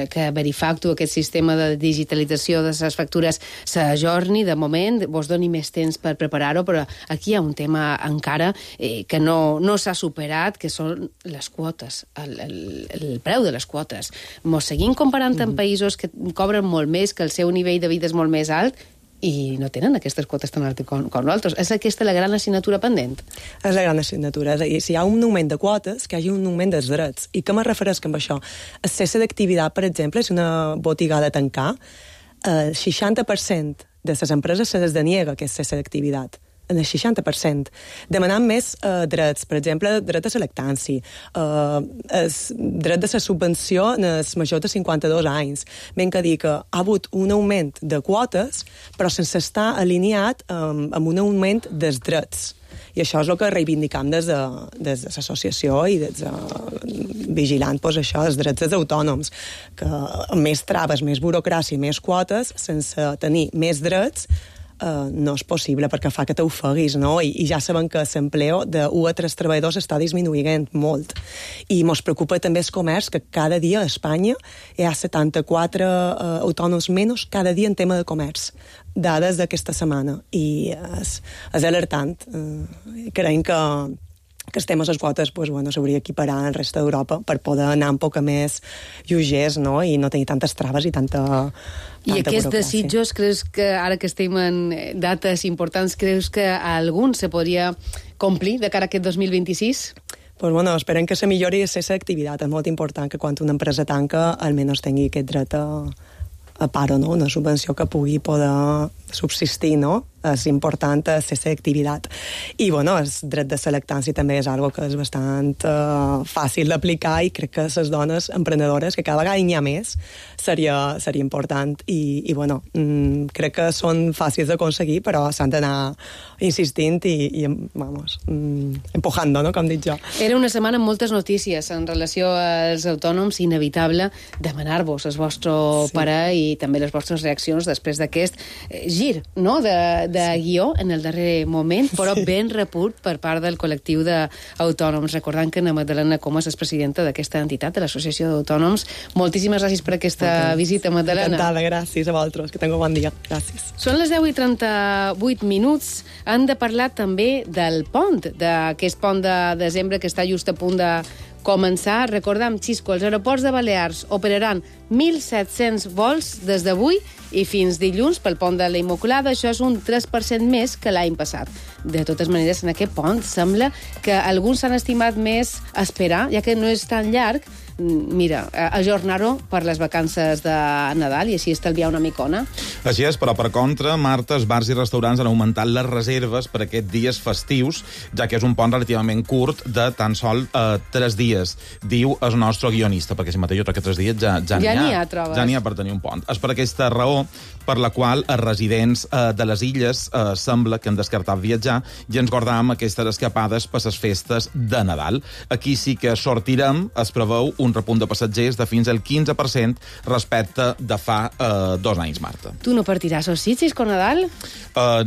que Verifactu, aquest sistema de digitalització de les factures, s'ajorni de moment, vos doni més temps per preparar-ho, però aquí hi ha un tema encara que no s'ha superat, que són les quotes, el preu de les quotes. Mos seguim comparant amb països que cobren molt més, que el seu nivell de vida és molt més alt, i no tenen aquestes quotes tan altes com nosaltres. És aquesta la gran assignatura pendent? És la gran assignatura. És a dir, si hi ha un augment de quotes, que hi hagi un augment dels drets. I què me refereix amb això? El cesse d'activitat, per exemple, si una botiga ha de tancar, el 60% de les empreses se les deniega aquest cesse d'activitat. En el 60%. Demanant més drets, per exemple, dret a la lactància, dret de la subvenció en els majors de 52 anys. Ben que dir que ha hagut un augment de quotes, però sense estar alineat amb un augment dels drets. I això és el que reivindicam des de l'associació i vigilant això, els drets dels autònoms, que més traves, més burocràcia, més quotes, sense tenir més drets, no és possible, perquè fa que t'ofeguis, no? I ja sabem que l'empleo de 1 a 3 treballadors està disminuint molt. I ens preocupa també el comerç, que cada dia a Espanya hi ha 74 autònoms menys cada dia en tema de comerç. Dades d'aquesta setmana. I és alertant. Creiem que els temes de les quotes s'hauria d'equiparar al resta d'Europa per poder anar un poc més lleugers, no? I no tenir tantes traves i tanta I aquests burocràcia. desitjos, creus que ara que estem en dates importants, creus que a algun se podria complir de cara a aquest 2026? Pues esperem que se millori la activitat. És molt important que quan una empresa tanca almenys tingui aquest dret a paro, no? Una subvenció que pugui poder subsistir, no? És important la activitat. I, el dret de la lactància també és algo que és bastant fàcil d'aplicar i crec que les dones emprenedores, que cada vegada hi ha més, seria important. I crec que són fàcils d'aconseguir, però s'han d'anar insistint i empujando, no? Com dic jo. Era una setmana amb moltes notícies en relació als autònoms, inevitable demanar-vos el vostre parer i també les vostres reaccions després d'aquest gir, no?, de guió en el darrer moment, però ben reput per part del col·lectiu d'autònoms. Recordant que Ana Magdalena Comas és presidenta d'aquesta entitat, de l'Associació d'Autònoms. Moltíssimes gràcies per aquesta visita, Magdalena. Encantada, gràcies a vosaltres. Que tingueu bon dia. Gràcies. Són les 10:38. Han de parlar també del pont, d'aquest pont de desembre que està just a punt de començar. Recordem, Xisco, els aeroports de Balears operaran 1.700 vols des d'avui i fins dilluns pel pont de la Immaculada. Això és un 3% més que l'any passat. De totes maneres, en aquest pont sembla que alguns s'han estimat més esperar, ja que no és tan llarg, ajornar-ho per les vacances de Nadal i així estalviar una micona. Així és, però per contra, Marta, els bars i restaurants han augmentat les reserves per aquests dies festius, ja que és un pont relativament curt de tan sol 3 dies, diu el nostre guionista, perquè si mateix jo crec que 3 dies ja n'hi ha, trobes. Ja n'hi ha per tenir un pont. És per aquesta raó per la qual els residents de les illes sembla que han descartat viatjar i ens guardàvem aquestes escapades per les festes de Nadal. Aquí sí que sortirem, es preveu un repunt de passatgers de fins al 15% respecte de fa 2 anys, Marta. Tu no partiràs als sitges con Nadal?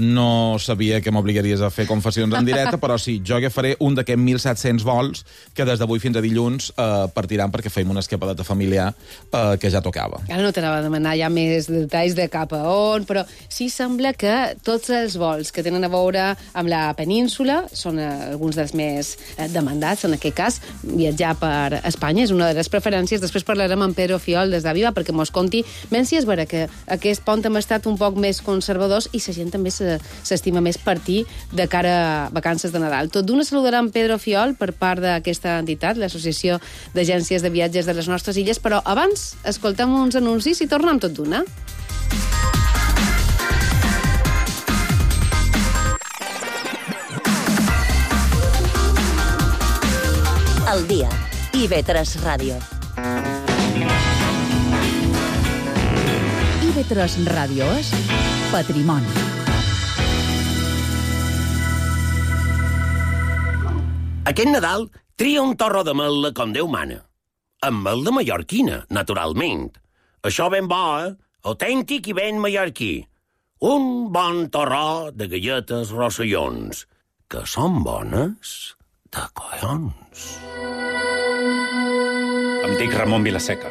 No sabia que m'obligaries a fer confessions en directe, però sí, jo agafaré un d'aquests 1.700 vols que des d'avui fins a dilluns partiran perquè feim una escapadeta familiar que ja tocava. Ara no t'anava a demanar ja més detalls de cap a on, però sí sembla que tots els vols que tenen a veure amb la península són alguns dels més demandats. En aquest cas, viatjar per Espanya és una de les preferències. Després parlarem amb Pedro Fiol des d'Aviva perquè mos conti ben si és vera que aquest pont hem estat un poc més conservadors i la gent també s'estima més partir de cara a vacances de Nadal. Tot d'una saludarem Pedro Fiol per part d'aquesta entitat, l'Associació d'Agències de Viatges de les nostres illes, però abans escoltem uns anuncis i tornem tot d'una. El dia. IB3 Ràdio. IB3 Ràdio és patrimoni. Aquest Nadal tria un torro de mel·la com Déu mana. Amb mel de mallorquina, naturalment. Això ben bo, autèntic i ben mallorquí. Un bon torró de galletes rossellons, que són bones de collons. Em dic Ramon Vilaseca.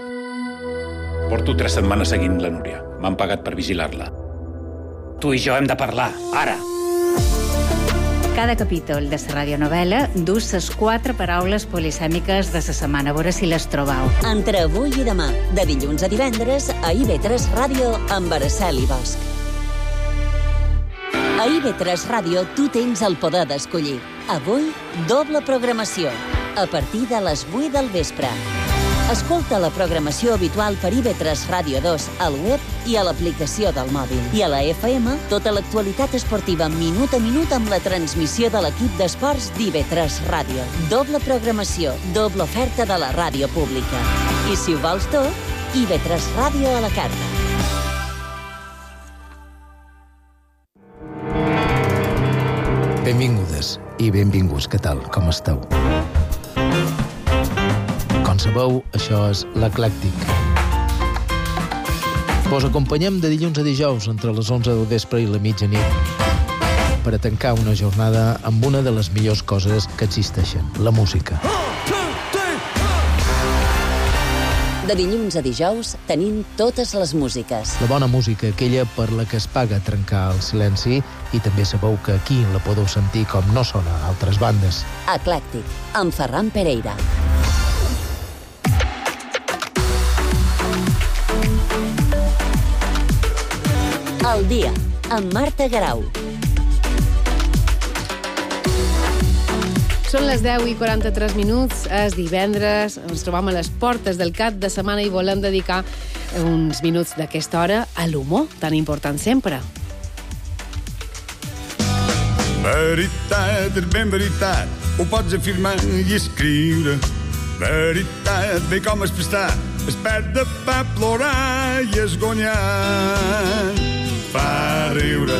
Porto 3 setmanes seguint la Núria. M'han pagat per vigilar-la. Tu i jo hem de parlar, ara. Cada capítol de la radionovel·la dus les 4 paraules polisèmiques de la setmana. A veure si les trobau. Entre avui i demà, de dilluns a divendres, a IB3 Ràdio amb Araceli Bosch. A IB3 Ràdio tu tens el poder d'escollir. Avui, doble programació, a partir de les 8 del vespre. Escolta la programació habitual per IB3 Ràdio 2 al web i a l'aplicació del mòbil. I a la FM, tota l'actualitat esportiva minut a minut amb la transmissió de l'equip d'esports d'IB3 Ràdio. Doble programació, doble oferta de la ràdio pública. I si ho vols tot, IB3 Ràdio a la carta. Benvingudes i benvinguts. Què tal? Com esteu? Com sabeu, això és l'Eclèctic. Vos acompanyem de dilluns a dijous entre les 11 del vespre i la mitjanit per a tancar una jornada amb una de les millors coses que existeixen, la música. De dilluns a dijous tenim totes les músiques. La bona música, aquella per la que es paga trencar el silenci, i també sabeu que aquí la podeu sentir com no sona a altres bandes. Eclèctic, amb Ferran Pereira. El dia, amb Marta Garau. Són les 10:43, és divendres, ens trobam a les portes del cap de setmana i volem dedicar uns minuts d'aquesta hora a l'humor, tan important sempre. Veritat, és ben veritat, ho pots afirmar i escriure. Veritat, bé com es prestar, es perd de pa plorar i esgonyar. Fa riure.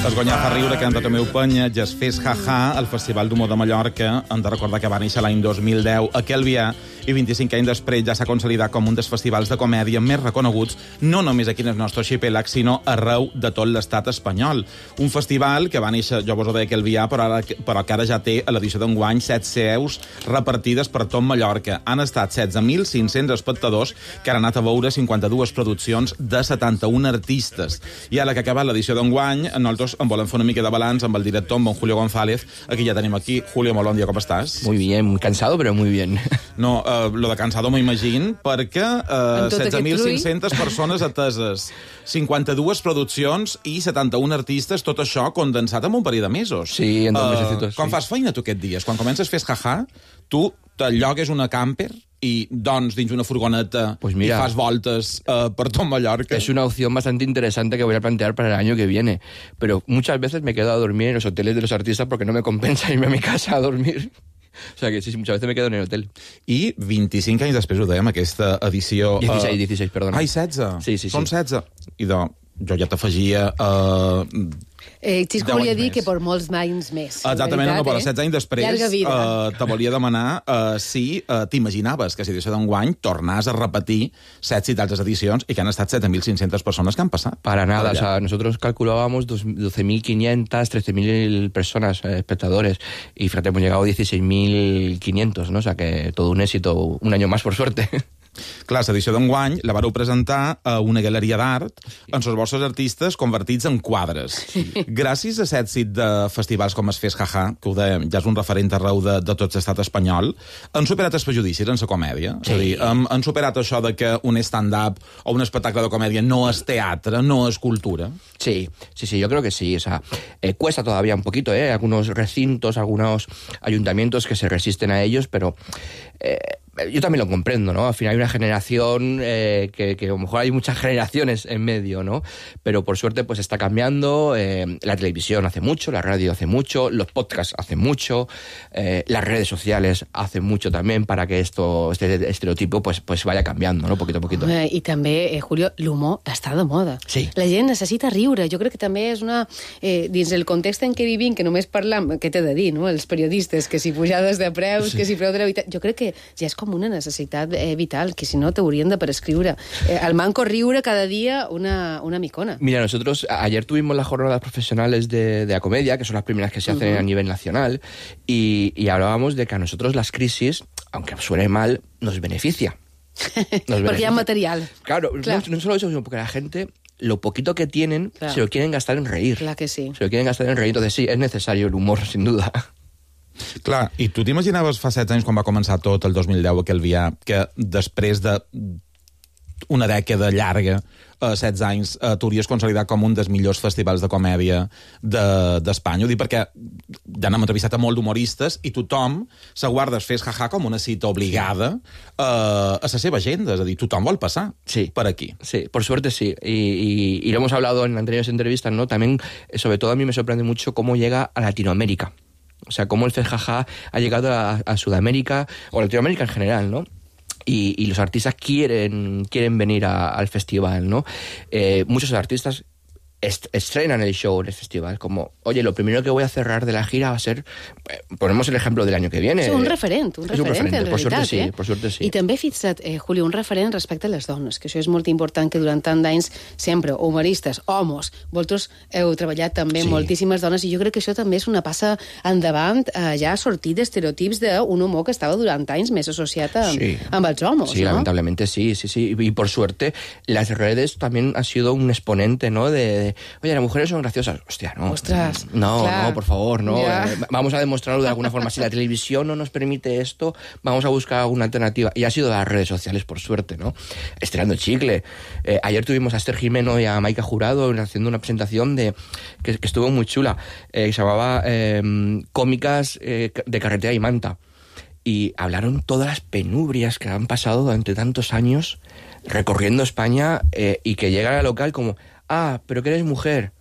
Esgonyar fa riure, que Antoni meu penya, ja es fes jaja, el Festival d'Humor de Mallorca. Hem de recordar que va néixer l'any 2010 a Calvià i 25 anys després ja s'ha consolidat com un dels festivals de comèdia més reconeguts, no només aquí en el nostre arxipèlag, sinó arreu de tot l'estat espanyol. Un festival que va néixer, jo vos ho deia, Calvià, però que ara ja té a l'edició d'enguany 7 seus repartides per tot Mallorca. Han estat 16.500 espectadors que han anat a veure 52 produccions de 71 artistes. I ara que ha acabat l'edició d'enguany, nosaltres en volem fer una mica de balanç amb el director, amb en Julio González. Aquí ja tenim aquí. Julio, molt bon dia, com estàs? Muy bien, cansado, pero muy bien. No, lo de cansado m'imagino, perquè 16.500 persones ateses, 52 produccions i 71 artistes, tot això condensat en un parell de mesos. Sí, en 2 mesecitos. Quan fas feina tu aquests dies? Quan comences a fer jaja, tu te llogues una camper i doncs dins una furgoneta y fas voltes por todo Mallorca. Es una opción bastante interesante que voy a plantear para el año que viene. Pero muchas veces me quedo a dormir en los hoteles de los artistas porque no me compensa irme a mi casa a dormir. O sea que sí, muchas veces me quedo en el hotel. I 25 anys després ho dèiem, aquesta edició... 16, perdona. Ai, 16? Sí. Són 16. I jo ja t'afegia... Xisco volia dir que per molts anys més. Exactament, no, però 16 anys després te volia demanar si t'imaginaves que si l'edició d'enguany tornàs a repetir 7 i d'altres edicions i que han estat 7.500 persones que han passat. Para nada, o sea, nosotros calculábamos 12.500, 13.000 personas, espectadores, y fíjate, hemos llegado a 16.500, ¿no? O sea que todo un éxito, un año más, por suerte. Clar, l'edició d'enguany la vareu presentar a una galeria d'art amb els vostres artistes convertits en quadres. Sí. Gràcies a l'èxit de festivals com es Fes Jaja, que ho dèiem, ja és un referent arreu de tot l'estat espanyol, han superat els prejudicis en la comèdia? Sí. És a dir, han superat això de que un stand-up o un espectacle de comèdia no és teatre, no és cultura? Sí, yo creo que sí. O sea, cuesta todavía un poquito, algunos recintos, algunos ayuntamientos que se resisten a ellos, pero... yo también lo comprendo, ¿no? Al final hay una generación que a lo mejor hay muchas generaciones en medio, ¿no? Pero por suerte pues está cambiando. La televisión hace mucho, la radio hace mucho, los podcasts hacen mucho, las redes sociales hacen mucho también para que este estereotipo pues vaya cambiando, ¿no? Poquito a poquito. I també, Julio, l'humor està de moda. Sí. La gent necessita riure. Jo crec que també és una... dins el context en què vivim, que només parlam, què t'he de dir, no? Els periodistes, que si pujades de preus, sí, que si preu de l'habitatge... Jo crec que ja és com una necessitat vital, que si no t'haurien de prescriure. Al manco riure cada día una micona. Mira, nosotros ayer tuvimos las jornadas profesionales de la comedia, que son las primeras que se hacen a nivel nacional, y hablábamos de que a nosotros las crisis, aunque suene mal, nos beneficia. Porque ya hay material. Claro. No solo eso, sino porque la gente... lo poquito que tienen, se lo quieren gastar en reír. Claro que sí. Se lo quieren gastar en reír. Entonces sí, es necesario el humor, sin duda. Clar, i tu t'imaginaves fa 7 anys, quan va començar tot, el 2010, a Calvià, que després de una dècada llarga, 16 anys, t'hauries consolidat com un dels millors festivals de comèdia d'Espanya? Ho dic perquè ja n'hem entrevistat a molt d'humoristes i tothom se guarda Fes Jaja com una cita obligada a la seva agenda, és a dir, tothom vol passar per aquí. Sí, por suerte sí, y lo hemos hablado en anteriores entrevistas, ¿no? También, sobre todo a mí me sorprende mucho cómo llega a Latinoamérica. O sea, cómo el Fes Jaja ha llegado a Sudamérica, o a Latinoamérica en general, ¿no? Y los artistas quieren venir al festival, ¿no? Muchos artistas estrenan el show en el festival, como, oye, lo primero que voy a cerrar de la gira va a ser, ponemos el ejemplo del año que viene. És un referent en realitat. Per sort sí. I també, fixa't, Julio, un referent respecte a les dones, que això és molt important, que durant tant d'anys sempre, humoristes, homes, vosaltres heu treballat també moltíssimes dones, i jo crec que això també és una passa endavant, ja a sortir d'estereotips d'un humor que estava durant anys més associat amb els homes, Sí, ¿no? lamentablemente sí. Y por suerte, las redes también han sido un exponente, ¿no? De oye, las mujeres son graciosas. Hostia, no. Ostras, no, clar. no, por favor, no. Ya. Vamos a demostrarlo de alguna forma. Si la televisión no nos permite esto, vamos a buscar alguna alternativa. Y ha sido las redes sociales, por suerte, ¿no? Estirando el chicle. Ayer tuvimos a Esther Jimeno y a Maika Jurado haciendo una presentación que estuvo muy chula. Se llamaba Cómicas de Carretera y Manta. Y hablaron todas las penubrias que han pasado durante tantos años recorriendo España y que llegan al local como, pero que eres mujer,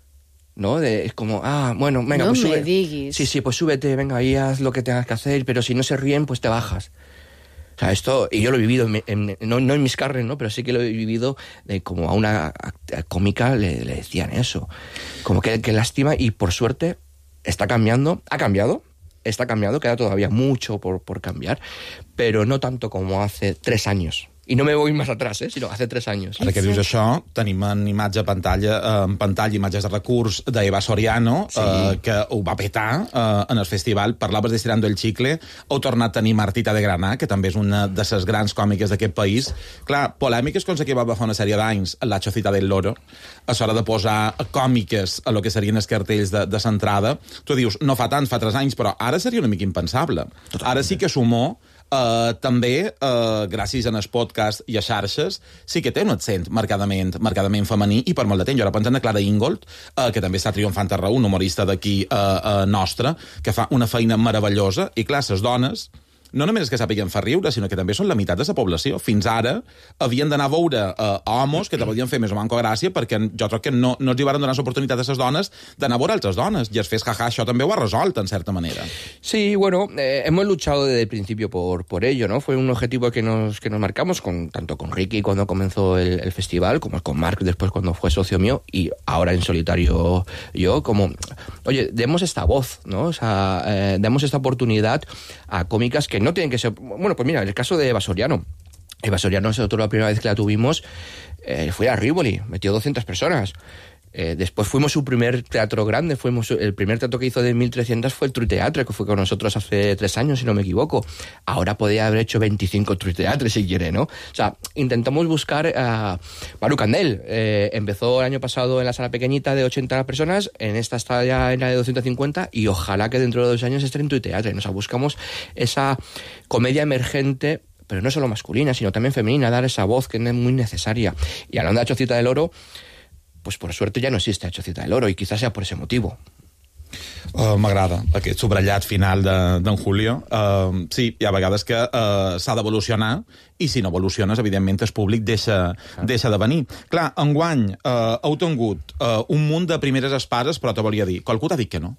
¿no? Es como, bueno, venga, no pues sube. Me diguis. Sí, pues súbete, venga, ahí haz lo que tengas que hacer, pero si no se ríen, pues te bajas. O sea, esto, y yo lo he vivido, no en mis carnes, ¿no? Pero sí que lo he vivido, como a una cómica le decían eso. Como que lástima, y por suerte está cambiando, está cambiando, queda todavía mucho por cambiar, pero no tanto como hace 3 años. I no me voy més atrás, sinó hace 3 anys. Ara que dius això, tenim en imatge a pantalla, imatges de recurs d'Eva Soriano, que ho va petar en el festival. Parlaves d'Estirando el Chicle. Heu tornat a tenir Martita de Granà, que també és una de les grans còmiques d'aquest país. Clar, polèmiques com la que va fa una sèrie d'anys a la Chocita del Loro, a l'hora de posar còmiques a lo que serien els cartells de l'entrada. Tu dius, no fa tant, fa 3 anys, però ara seria una mica impensable. Ara sí que sumó també, gràcies al podcast i a xarxes, sí que té un accent marcadament femení, i per molt de temps. Jo ara penso en Clara Ingold, que també està triomfant a Raó, un humorista d'aquí nostre, que fa una feina meravellosa, i clar, les dones no només és que sàpiguen fer riure, sinó que també són la meitat de la població. Fins ara havien d'anar a veure homes que te podien fer més o manco gràcia, perquè jo crec que no els hi van donar l'oportunitat a les dones d'anar a veure altres dones. I es fes jaja, això també ho ha resolt, en certa manera. Sí, bueno, hemos luchado desde el principio por ello, ¿no? Fue un objetivo que nos marcamos, tanto con Ricky cuando comenzó el festival, como con Marc después cuando fue socio mío, y ahora en solitario yo, como, oye, demos esta voz, ¿no? O sea, demos esta oportunidad a cómicas que no tienen que ser... Bueno, pues mira, en el caso de Eva Soriano. Eva Soriano, nosotros la primera vez que la tuvimos, fue a Rivoli, metió 200 personas. Después fuimos su primer teatro grande, el primer teatro que hizo de 1.300 fue el Truiteatre, que fue con nosotros hace 3 años, si no me equivoco. Ahora podía haber hecho 25 Truiteatres si quiere, ¿no? O sea, intentamos buscar a Maru Candel. Empezó el año pasado en la sala pequeñita de 80 personas, en esta está ya en la de 250, y ojalá que dentro de 2 años esté en Truiteatre. O sea, buscamos esa comedia emergente, pero no solo masculina, sino también femenina, dar esa voz que es muy necesaria. Y hablando de Chocita del Oro, pues por suerte ja no existe a Chocita del Oro, i quizás sea por ese motivo. M'agrada aquest subratllat final d'en Julio. Sí, hi ha vegades que s'ha d'evolucionar, i si no evoluciones, evidentment, el públic deixa de venir. Clar, enguany heu tingut un munt de primeres espases, però te volia dir, qualcú t'ha dit que no?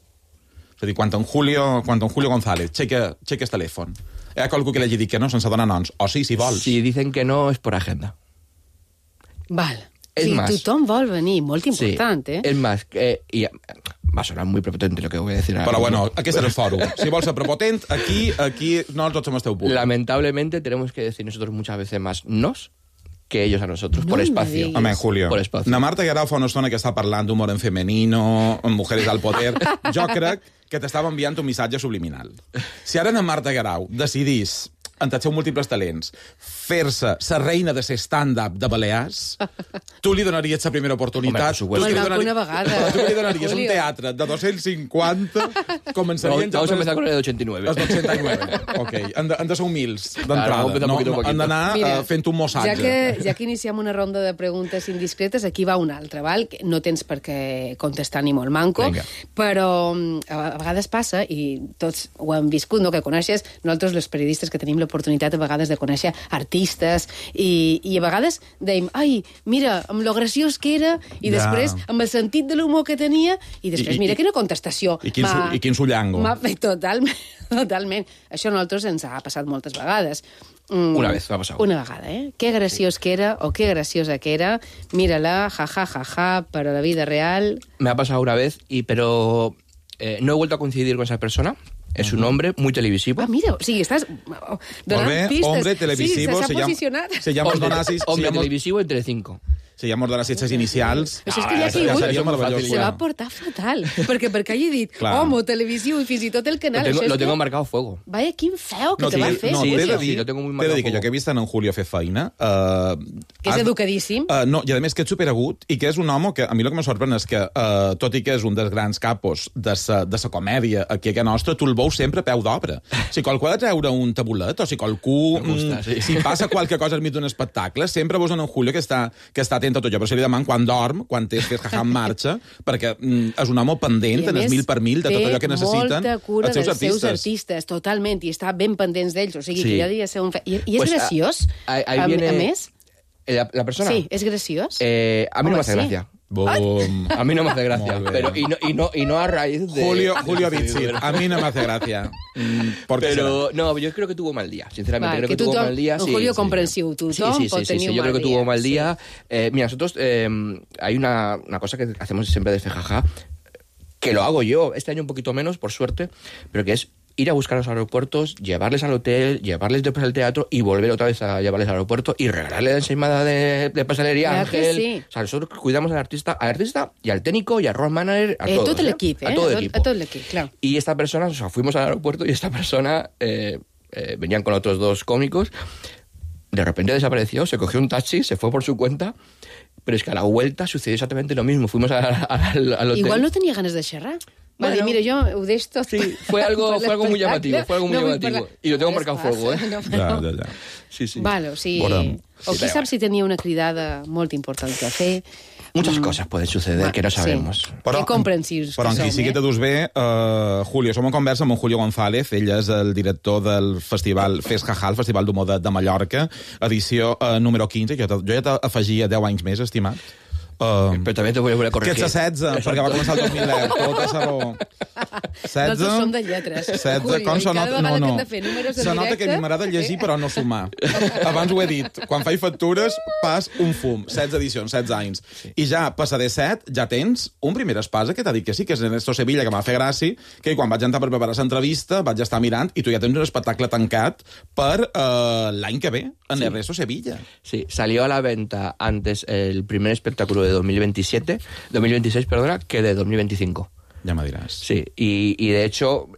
És a dir, quan en Julio González checa el telèfon, hi ha qualcú que l'hagi dit que no, sense donar noms, o sí, si vols. Si dicen que no, es por agenda. Val. Es más, tothom vol venir, molt important, sí, es más, y va a sonar muy prepotente lo que voy a decir ahora. Pero bueno, aquest és el fòrum. Si vols ser prepotent, aquí no tots som el teu públic. Lamentablemente tenemos que decir nosotros muchas veces más nos que ellos a nosotros, por espacio. Amén, Julio. Por espacio. Na Marta Guerau fa una estona que està parlant d'humor en femenino, en mujeres al poder. Jo crec que t'estava enviant un missatge subliminal. Si ara na Marta Guerau decidís, entre els seus múltiples talents, fer-se la reina de ser stand-up de Balears, tu li donaries la primera oportunitat. Home, una vegada. Tu li donaries un teatre de 250, començarien... Vamos a empezar con el de 89. Els 89, ok. Han de ser humils, d'entrada. Han d'anar fent un mossatge. Ja que iniciem una ronda de preguntes indiscretes, aquí va una altra, val? No tens per què contestar ni molt manco, però a vegades passa, i tots ho hem viscut, no?, que coneixes, nosaltres, els periodistes, que tenim l'oportunitat a vegades de conèixer artistes, i a vegades dèiem, ai, mira, amb lo graciós que era, i després amb el sentit de l'humor que tenia, i després, mira quina contestació. I quin sullango. Totalment. Això a nosaltres ens ha passat moltes vegades. Una vez m'ha passat. Una vegada, Qué graciós que era, o qué graciosa que era. Mírala, jaja, para la vida real. Me ha pasado una vez, pero no he vuelto a coincidir con esa persona. Es un hombre muy televisivo. Ah, mira, sí, estás donant pistes. Hombre televisivo. Sí, s'ha posicionat. Hombre televisivo en Telecinco. Si ja hemos donat aquestes inicials... Però és que ja seria meravellós. Se va portar fatal, perquè hagi dit homo, televisiu i fins i tot el canal. Lo tengo marcado a fuego. Vaya, quin feo que te va fer. No, t'he de dir que jo que he vist en Julio fer feina... Que és educadíssim. No, i a més que és superagut i que és un home que a mi el que me sorprèn és que, tot i que és un dels grans capos de sa comèdia aquí a casa nostra, tu el veus sempre a peu d'obra. Si qualcú ha de treure un tabulet o si qualcú... Si passa qualque cosa al mig d'un espectacle, sempre veus en Julio que està atent a tot allò, però se li demana quan dorm, quan té Fes Jaja en marxa, perquè és un home pendent, en el mil per mil, de tot allò que necessiten els seus artistes. Totalment, i està ben pendents d'ells, o sigui que ja devia ser un... I és graciós, a més? ¿La persona? Sí, ¿es graciós? A mí no me hace gracia. A mí no me hace gracia. Pero, y no a raíz de... Julio Bitzir, a mí no me hace gracia. Pero, no, yo creo que tuvo mal día. Sinceramente, creo que tuvo mal día. Julio comprensiu, tothom pot tenir un mal día. Yo creo que tuvo mal día. Mira, nosotros, hay una cosa que hacemos siempre de Fejaja, que lo hago yo, este año un poquito menos, por suerte, pero que es ir a buscar a los aeropuertos, llevarles al hotel, llevarles después al teatro y volver otra vez a llevarles al aeropuerto y regalarle la ensaimada de pastelería a Ángel. Sí. O sea, nosotros cuidamos al artista y al técnico y al road manager, a todos. Tot l'equip, A tot l'equip, claro. Y esta persona, o sea, fuimos al aeropuerto y esta persona venían con otros dos cómicos, de repente desapareció, se cogió un taxi, se fue por su cuenta, pero es que a la vuelta sucedió exactamente lo mismo. Fuimos al hotel. Igual no tenia ganes de xerrar. Va dir, mira, jo ho deixo tot. Sí, fue algo muy llamativo, Y lo tengo marcado a fuego, Ja. Sí. Vale, o sigui... O qui sap si tenia una cridada molt important que fer. Muchas cosas pueden suceder que no sabemos. Que comprensius però que som, qui sí que te dus bé, Julio, som en conversa amb en Julio González, ell és el director del festival Fes Jaja, el Festival d'Humor de Mallorca, edició número 15, jo ja t'afegia 10 anys més, estimat. Però també t'ho volia corregir. Que ets a 16, perquè va començar el 2010, tota sa raó. 16... Nosaltres som de lletres. 16, com se nota? Cada vegada que hem de fer números de se nota que a mi m'agrada llegir, però no sumar. Abans ho he dit, quan faig factures, pas un fum. 16 edicions, 16 anys. I ja, passa de 7, ja tens un primer espasa que t'ha dit que sí, que és Ernesto Sevilla, que m'ha fet gràcia, que quan vaig entrar per preparar l'entrevista, vaig estar mirant, i tu ja tens un espectacle tancat per l'any que ve, en Ernesto Sevilla. Sí, salió a la venta antes el primer espectáculo de 2026, que de 2025. Ya me dirás. Sí, y de hecho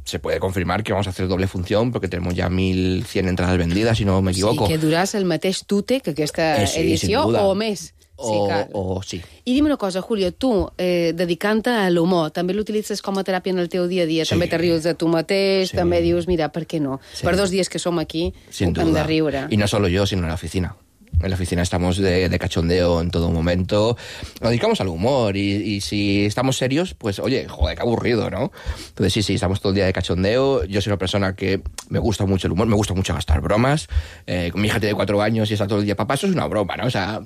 se puede confirmar que vamos a hacer doble función porque tenemos ya 1.100 entradas vendidas, si no me equivoco. Sí, que duràs el mateix tute que aquesta edició o més. Sí. I dime una cosa, Julio, tu, dedicant-te a l'humor, també l'utilitzes com a teràpia en el teu dia a dia? Sí. També te rius de tu mateix, també dius, mira, per què no? Sí. Per 2 dies que som aquí, hem de riure. Y no solo yo, sino en la oficina. En la oficina estamos de cachondeo en todo momento. Nos dedicamos al humor y si estamos serios, pues, oye, joder, qué aburrido, ¿no? Entonces, sí, estamos todo el día de cachondeo. Yo soy una persona que me gusta mucho el humor, me gusta mucho gastar bromas. Con mi hija tiene 4 años y está todo el día, papá, eso es una broma, ¿no? O sea...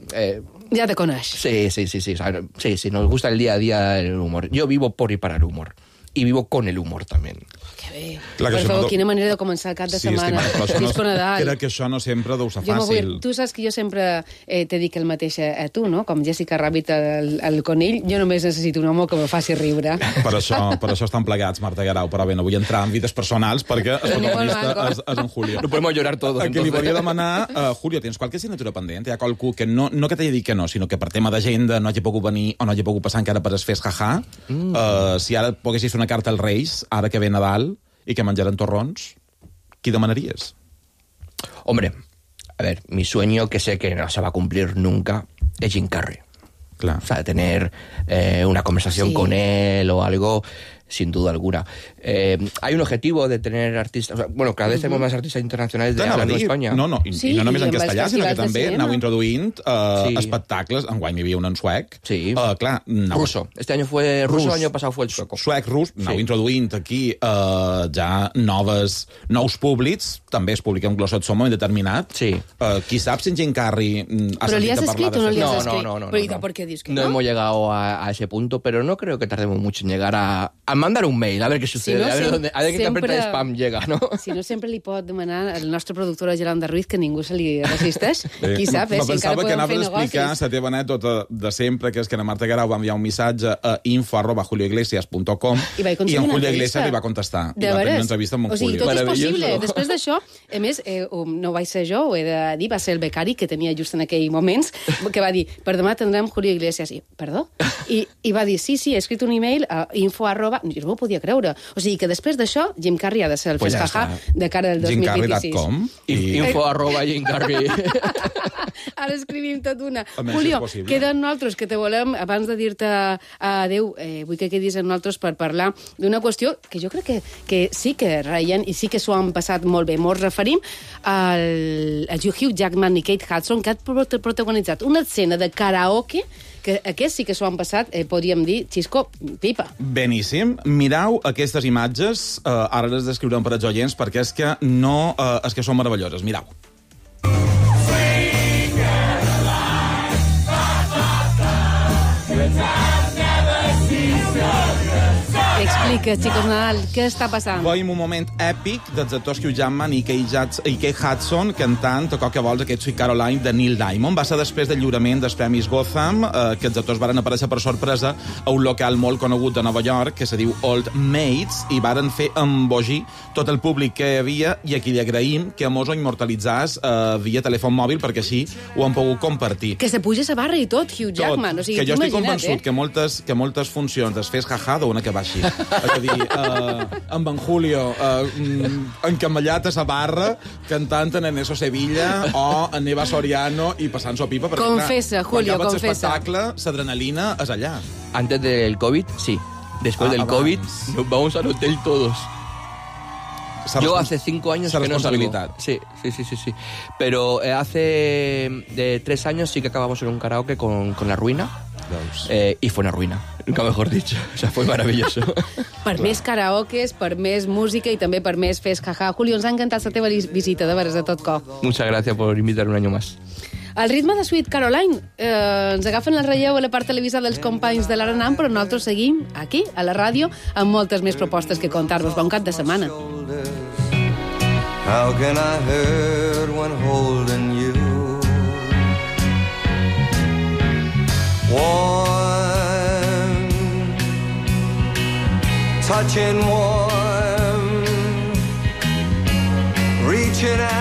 Ya te coneixes. Sí. O sea, sí, nos gusta el día a día el humor. Yo vivo por y para el humor. Y vivo con el humor también. Que bé. Per favor, quina manera de començar el cap de setmana. Disco Nadal. Crec que això no sempre deu ser fàcil. Tu saps que jo sempre t'he dit el mateix a tu, no? Com Jessica Rabbit al conill, jo només necessito un home que me faci riure. Per això estan plegats, Marta Guerau, però bé, no vull entrar en vides personals perquè el protagonista és en Julio. No podemos llorar todos. A qui li volia demanar, Julio, tens qualque assignatura pendent? Hi ha qualcú que no que t'hagi dit que no, sinó que per tema d'agenda no hagi pogut venir o no hagi pogut passar encara per es Fes Jaja. Si ara poguessis fer una carta als Reis, ara que ve Nadal, i que menjaran torrons, ¿qué demanarías? Hombre, a ver, mi sueño, que sé que no se va a cumplir nunca, es Jim Carrey. Claro. O sea, tener una conversación con él o algo, sin duda alguna. Hay un objetivo de tener artistas... O sea, bueno, cada vez tenemos más artistas internacionals hablando d'Espanya. No, i no només en castellà, sinó que també anau introduint espectacles. Enguany hi havia un en suec. Sí. Clar, ruso. Este año fue ruso, el año pasado fue el sueco. Suec, rus, anau introduint aquí ja nous públics, també es publica un glossot som determinat. Sí. Qui sap si en Jim Carrey ha sentit a parlar de això? No. ¿Por qué dices que no hemos llegado a ese punto, pero no creo que tardemos mucho en llegar a mandar un mail, a ver qué sucede, a ver qué carpeta de spam llega, ¿no? Si no, sempre li pot demanar al nostre productor Yolanda Ruiz, que ningú se li resisteix. Qui sap, si encara podem fer negocis. Explicar la teva anècdota de sempre, que és que la Marta Guerau va enviar un missatge a info@juliogleesias.com i en Julio Iglesias li va contestar. I va tenir una entrevista amb en Julio. Tot és possible. Després d'això, a més, no vaig ser jo, ho he de dir, va ser el becari que tenia just en aquells moments, que va dir, per demà tindrem Julio Iglesias. I, perdó? I va dir, sí, he escrit un email a info@... Jo no m'ho podia creure. O sigui que després d'això, Jim Carrey ha de ser el fes-jaja de cara al 2026. Jimcarrey.com info@jimcarrey. Ara escrivim tot una. Julio, queden nosaltres que te volem, abans de dir-te adéu, vull que quedis amb nosaltres per parlar d'una qüestió que jo crec que sí que reien i sí que s'ho han passat molt bé. Ens referim al Hugh Jackman i Kate Hudson, que han protagonitzat una escena de karaoke que aquests sí que s'ho han passat, podríem dir, xisco, pipa. Beníssim. Mireu aquestes imatges, ara les descriurem per als oients, perquè és que són meravelloses. Mireu. Explica, xicos Nadal, què està passant? Veiem un moment èpic dels actors Hugh Jackman i Kate Hudson cantant Toca que vols, aquest Sweet Caroline de Neil Diamond. Va ser després del lliurament dels Premis Gotham, que els actors varen aparèixer per sorpresa a un local molt conegut de Nova York, que se diu Old Maids, i varen fer embogir tot el públic que hi havia, i aquí li agraïm que mos ho immortalitzàs via telèfon mòbil, perquè així ho han pogut compartir. Que se puja a barra i tot, Hugh Jackman. O sigui, que jo estic convençut que moltes funcions es fes jaja d'una que va així. És a dir, amb en Julio encamallat a sa barra, cantant en Eneso Sevilla o en Eva Soriano i passant-s'ho pipa. Perquè, confessa, clar, Julio, quan confessa. L'espectacle, l'adrenalina és allà. Antes del COVID, sí. Después del COVID, nos vamos al hotel todos. Yo hace 5 años que no salgo. Sí. Pero hace 3 años sí que acabamos en un karaoke con La Ruina. Y fue una ruina, nunca mejor dicho. O sea, fue maravilloso. Per més karaokes, per més música i també per més fes jaja. Julio, ens ha encantat la teva visita, de veres, de tot cor. Muchas gracias por invitarme un año más. Al ritme de Sweet Caroline, ens agafen el relleu a la part televisada dels companys de l'Arenam, però nosaltres seguim aquí, a la ràdio, amb moltes més propostes que contar-vos. Bon cap de setmana. How can I hurt when holding you? Warm, touching warm, reaching out.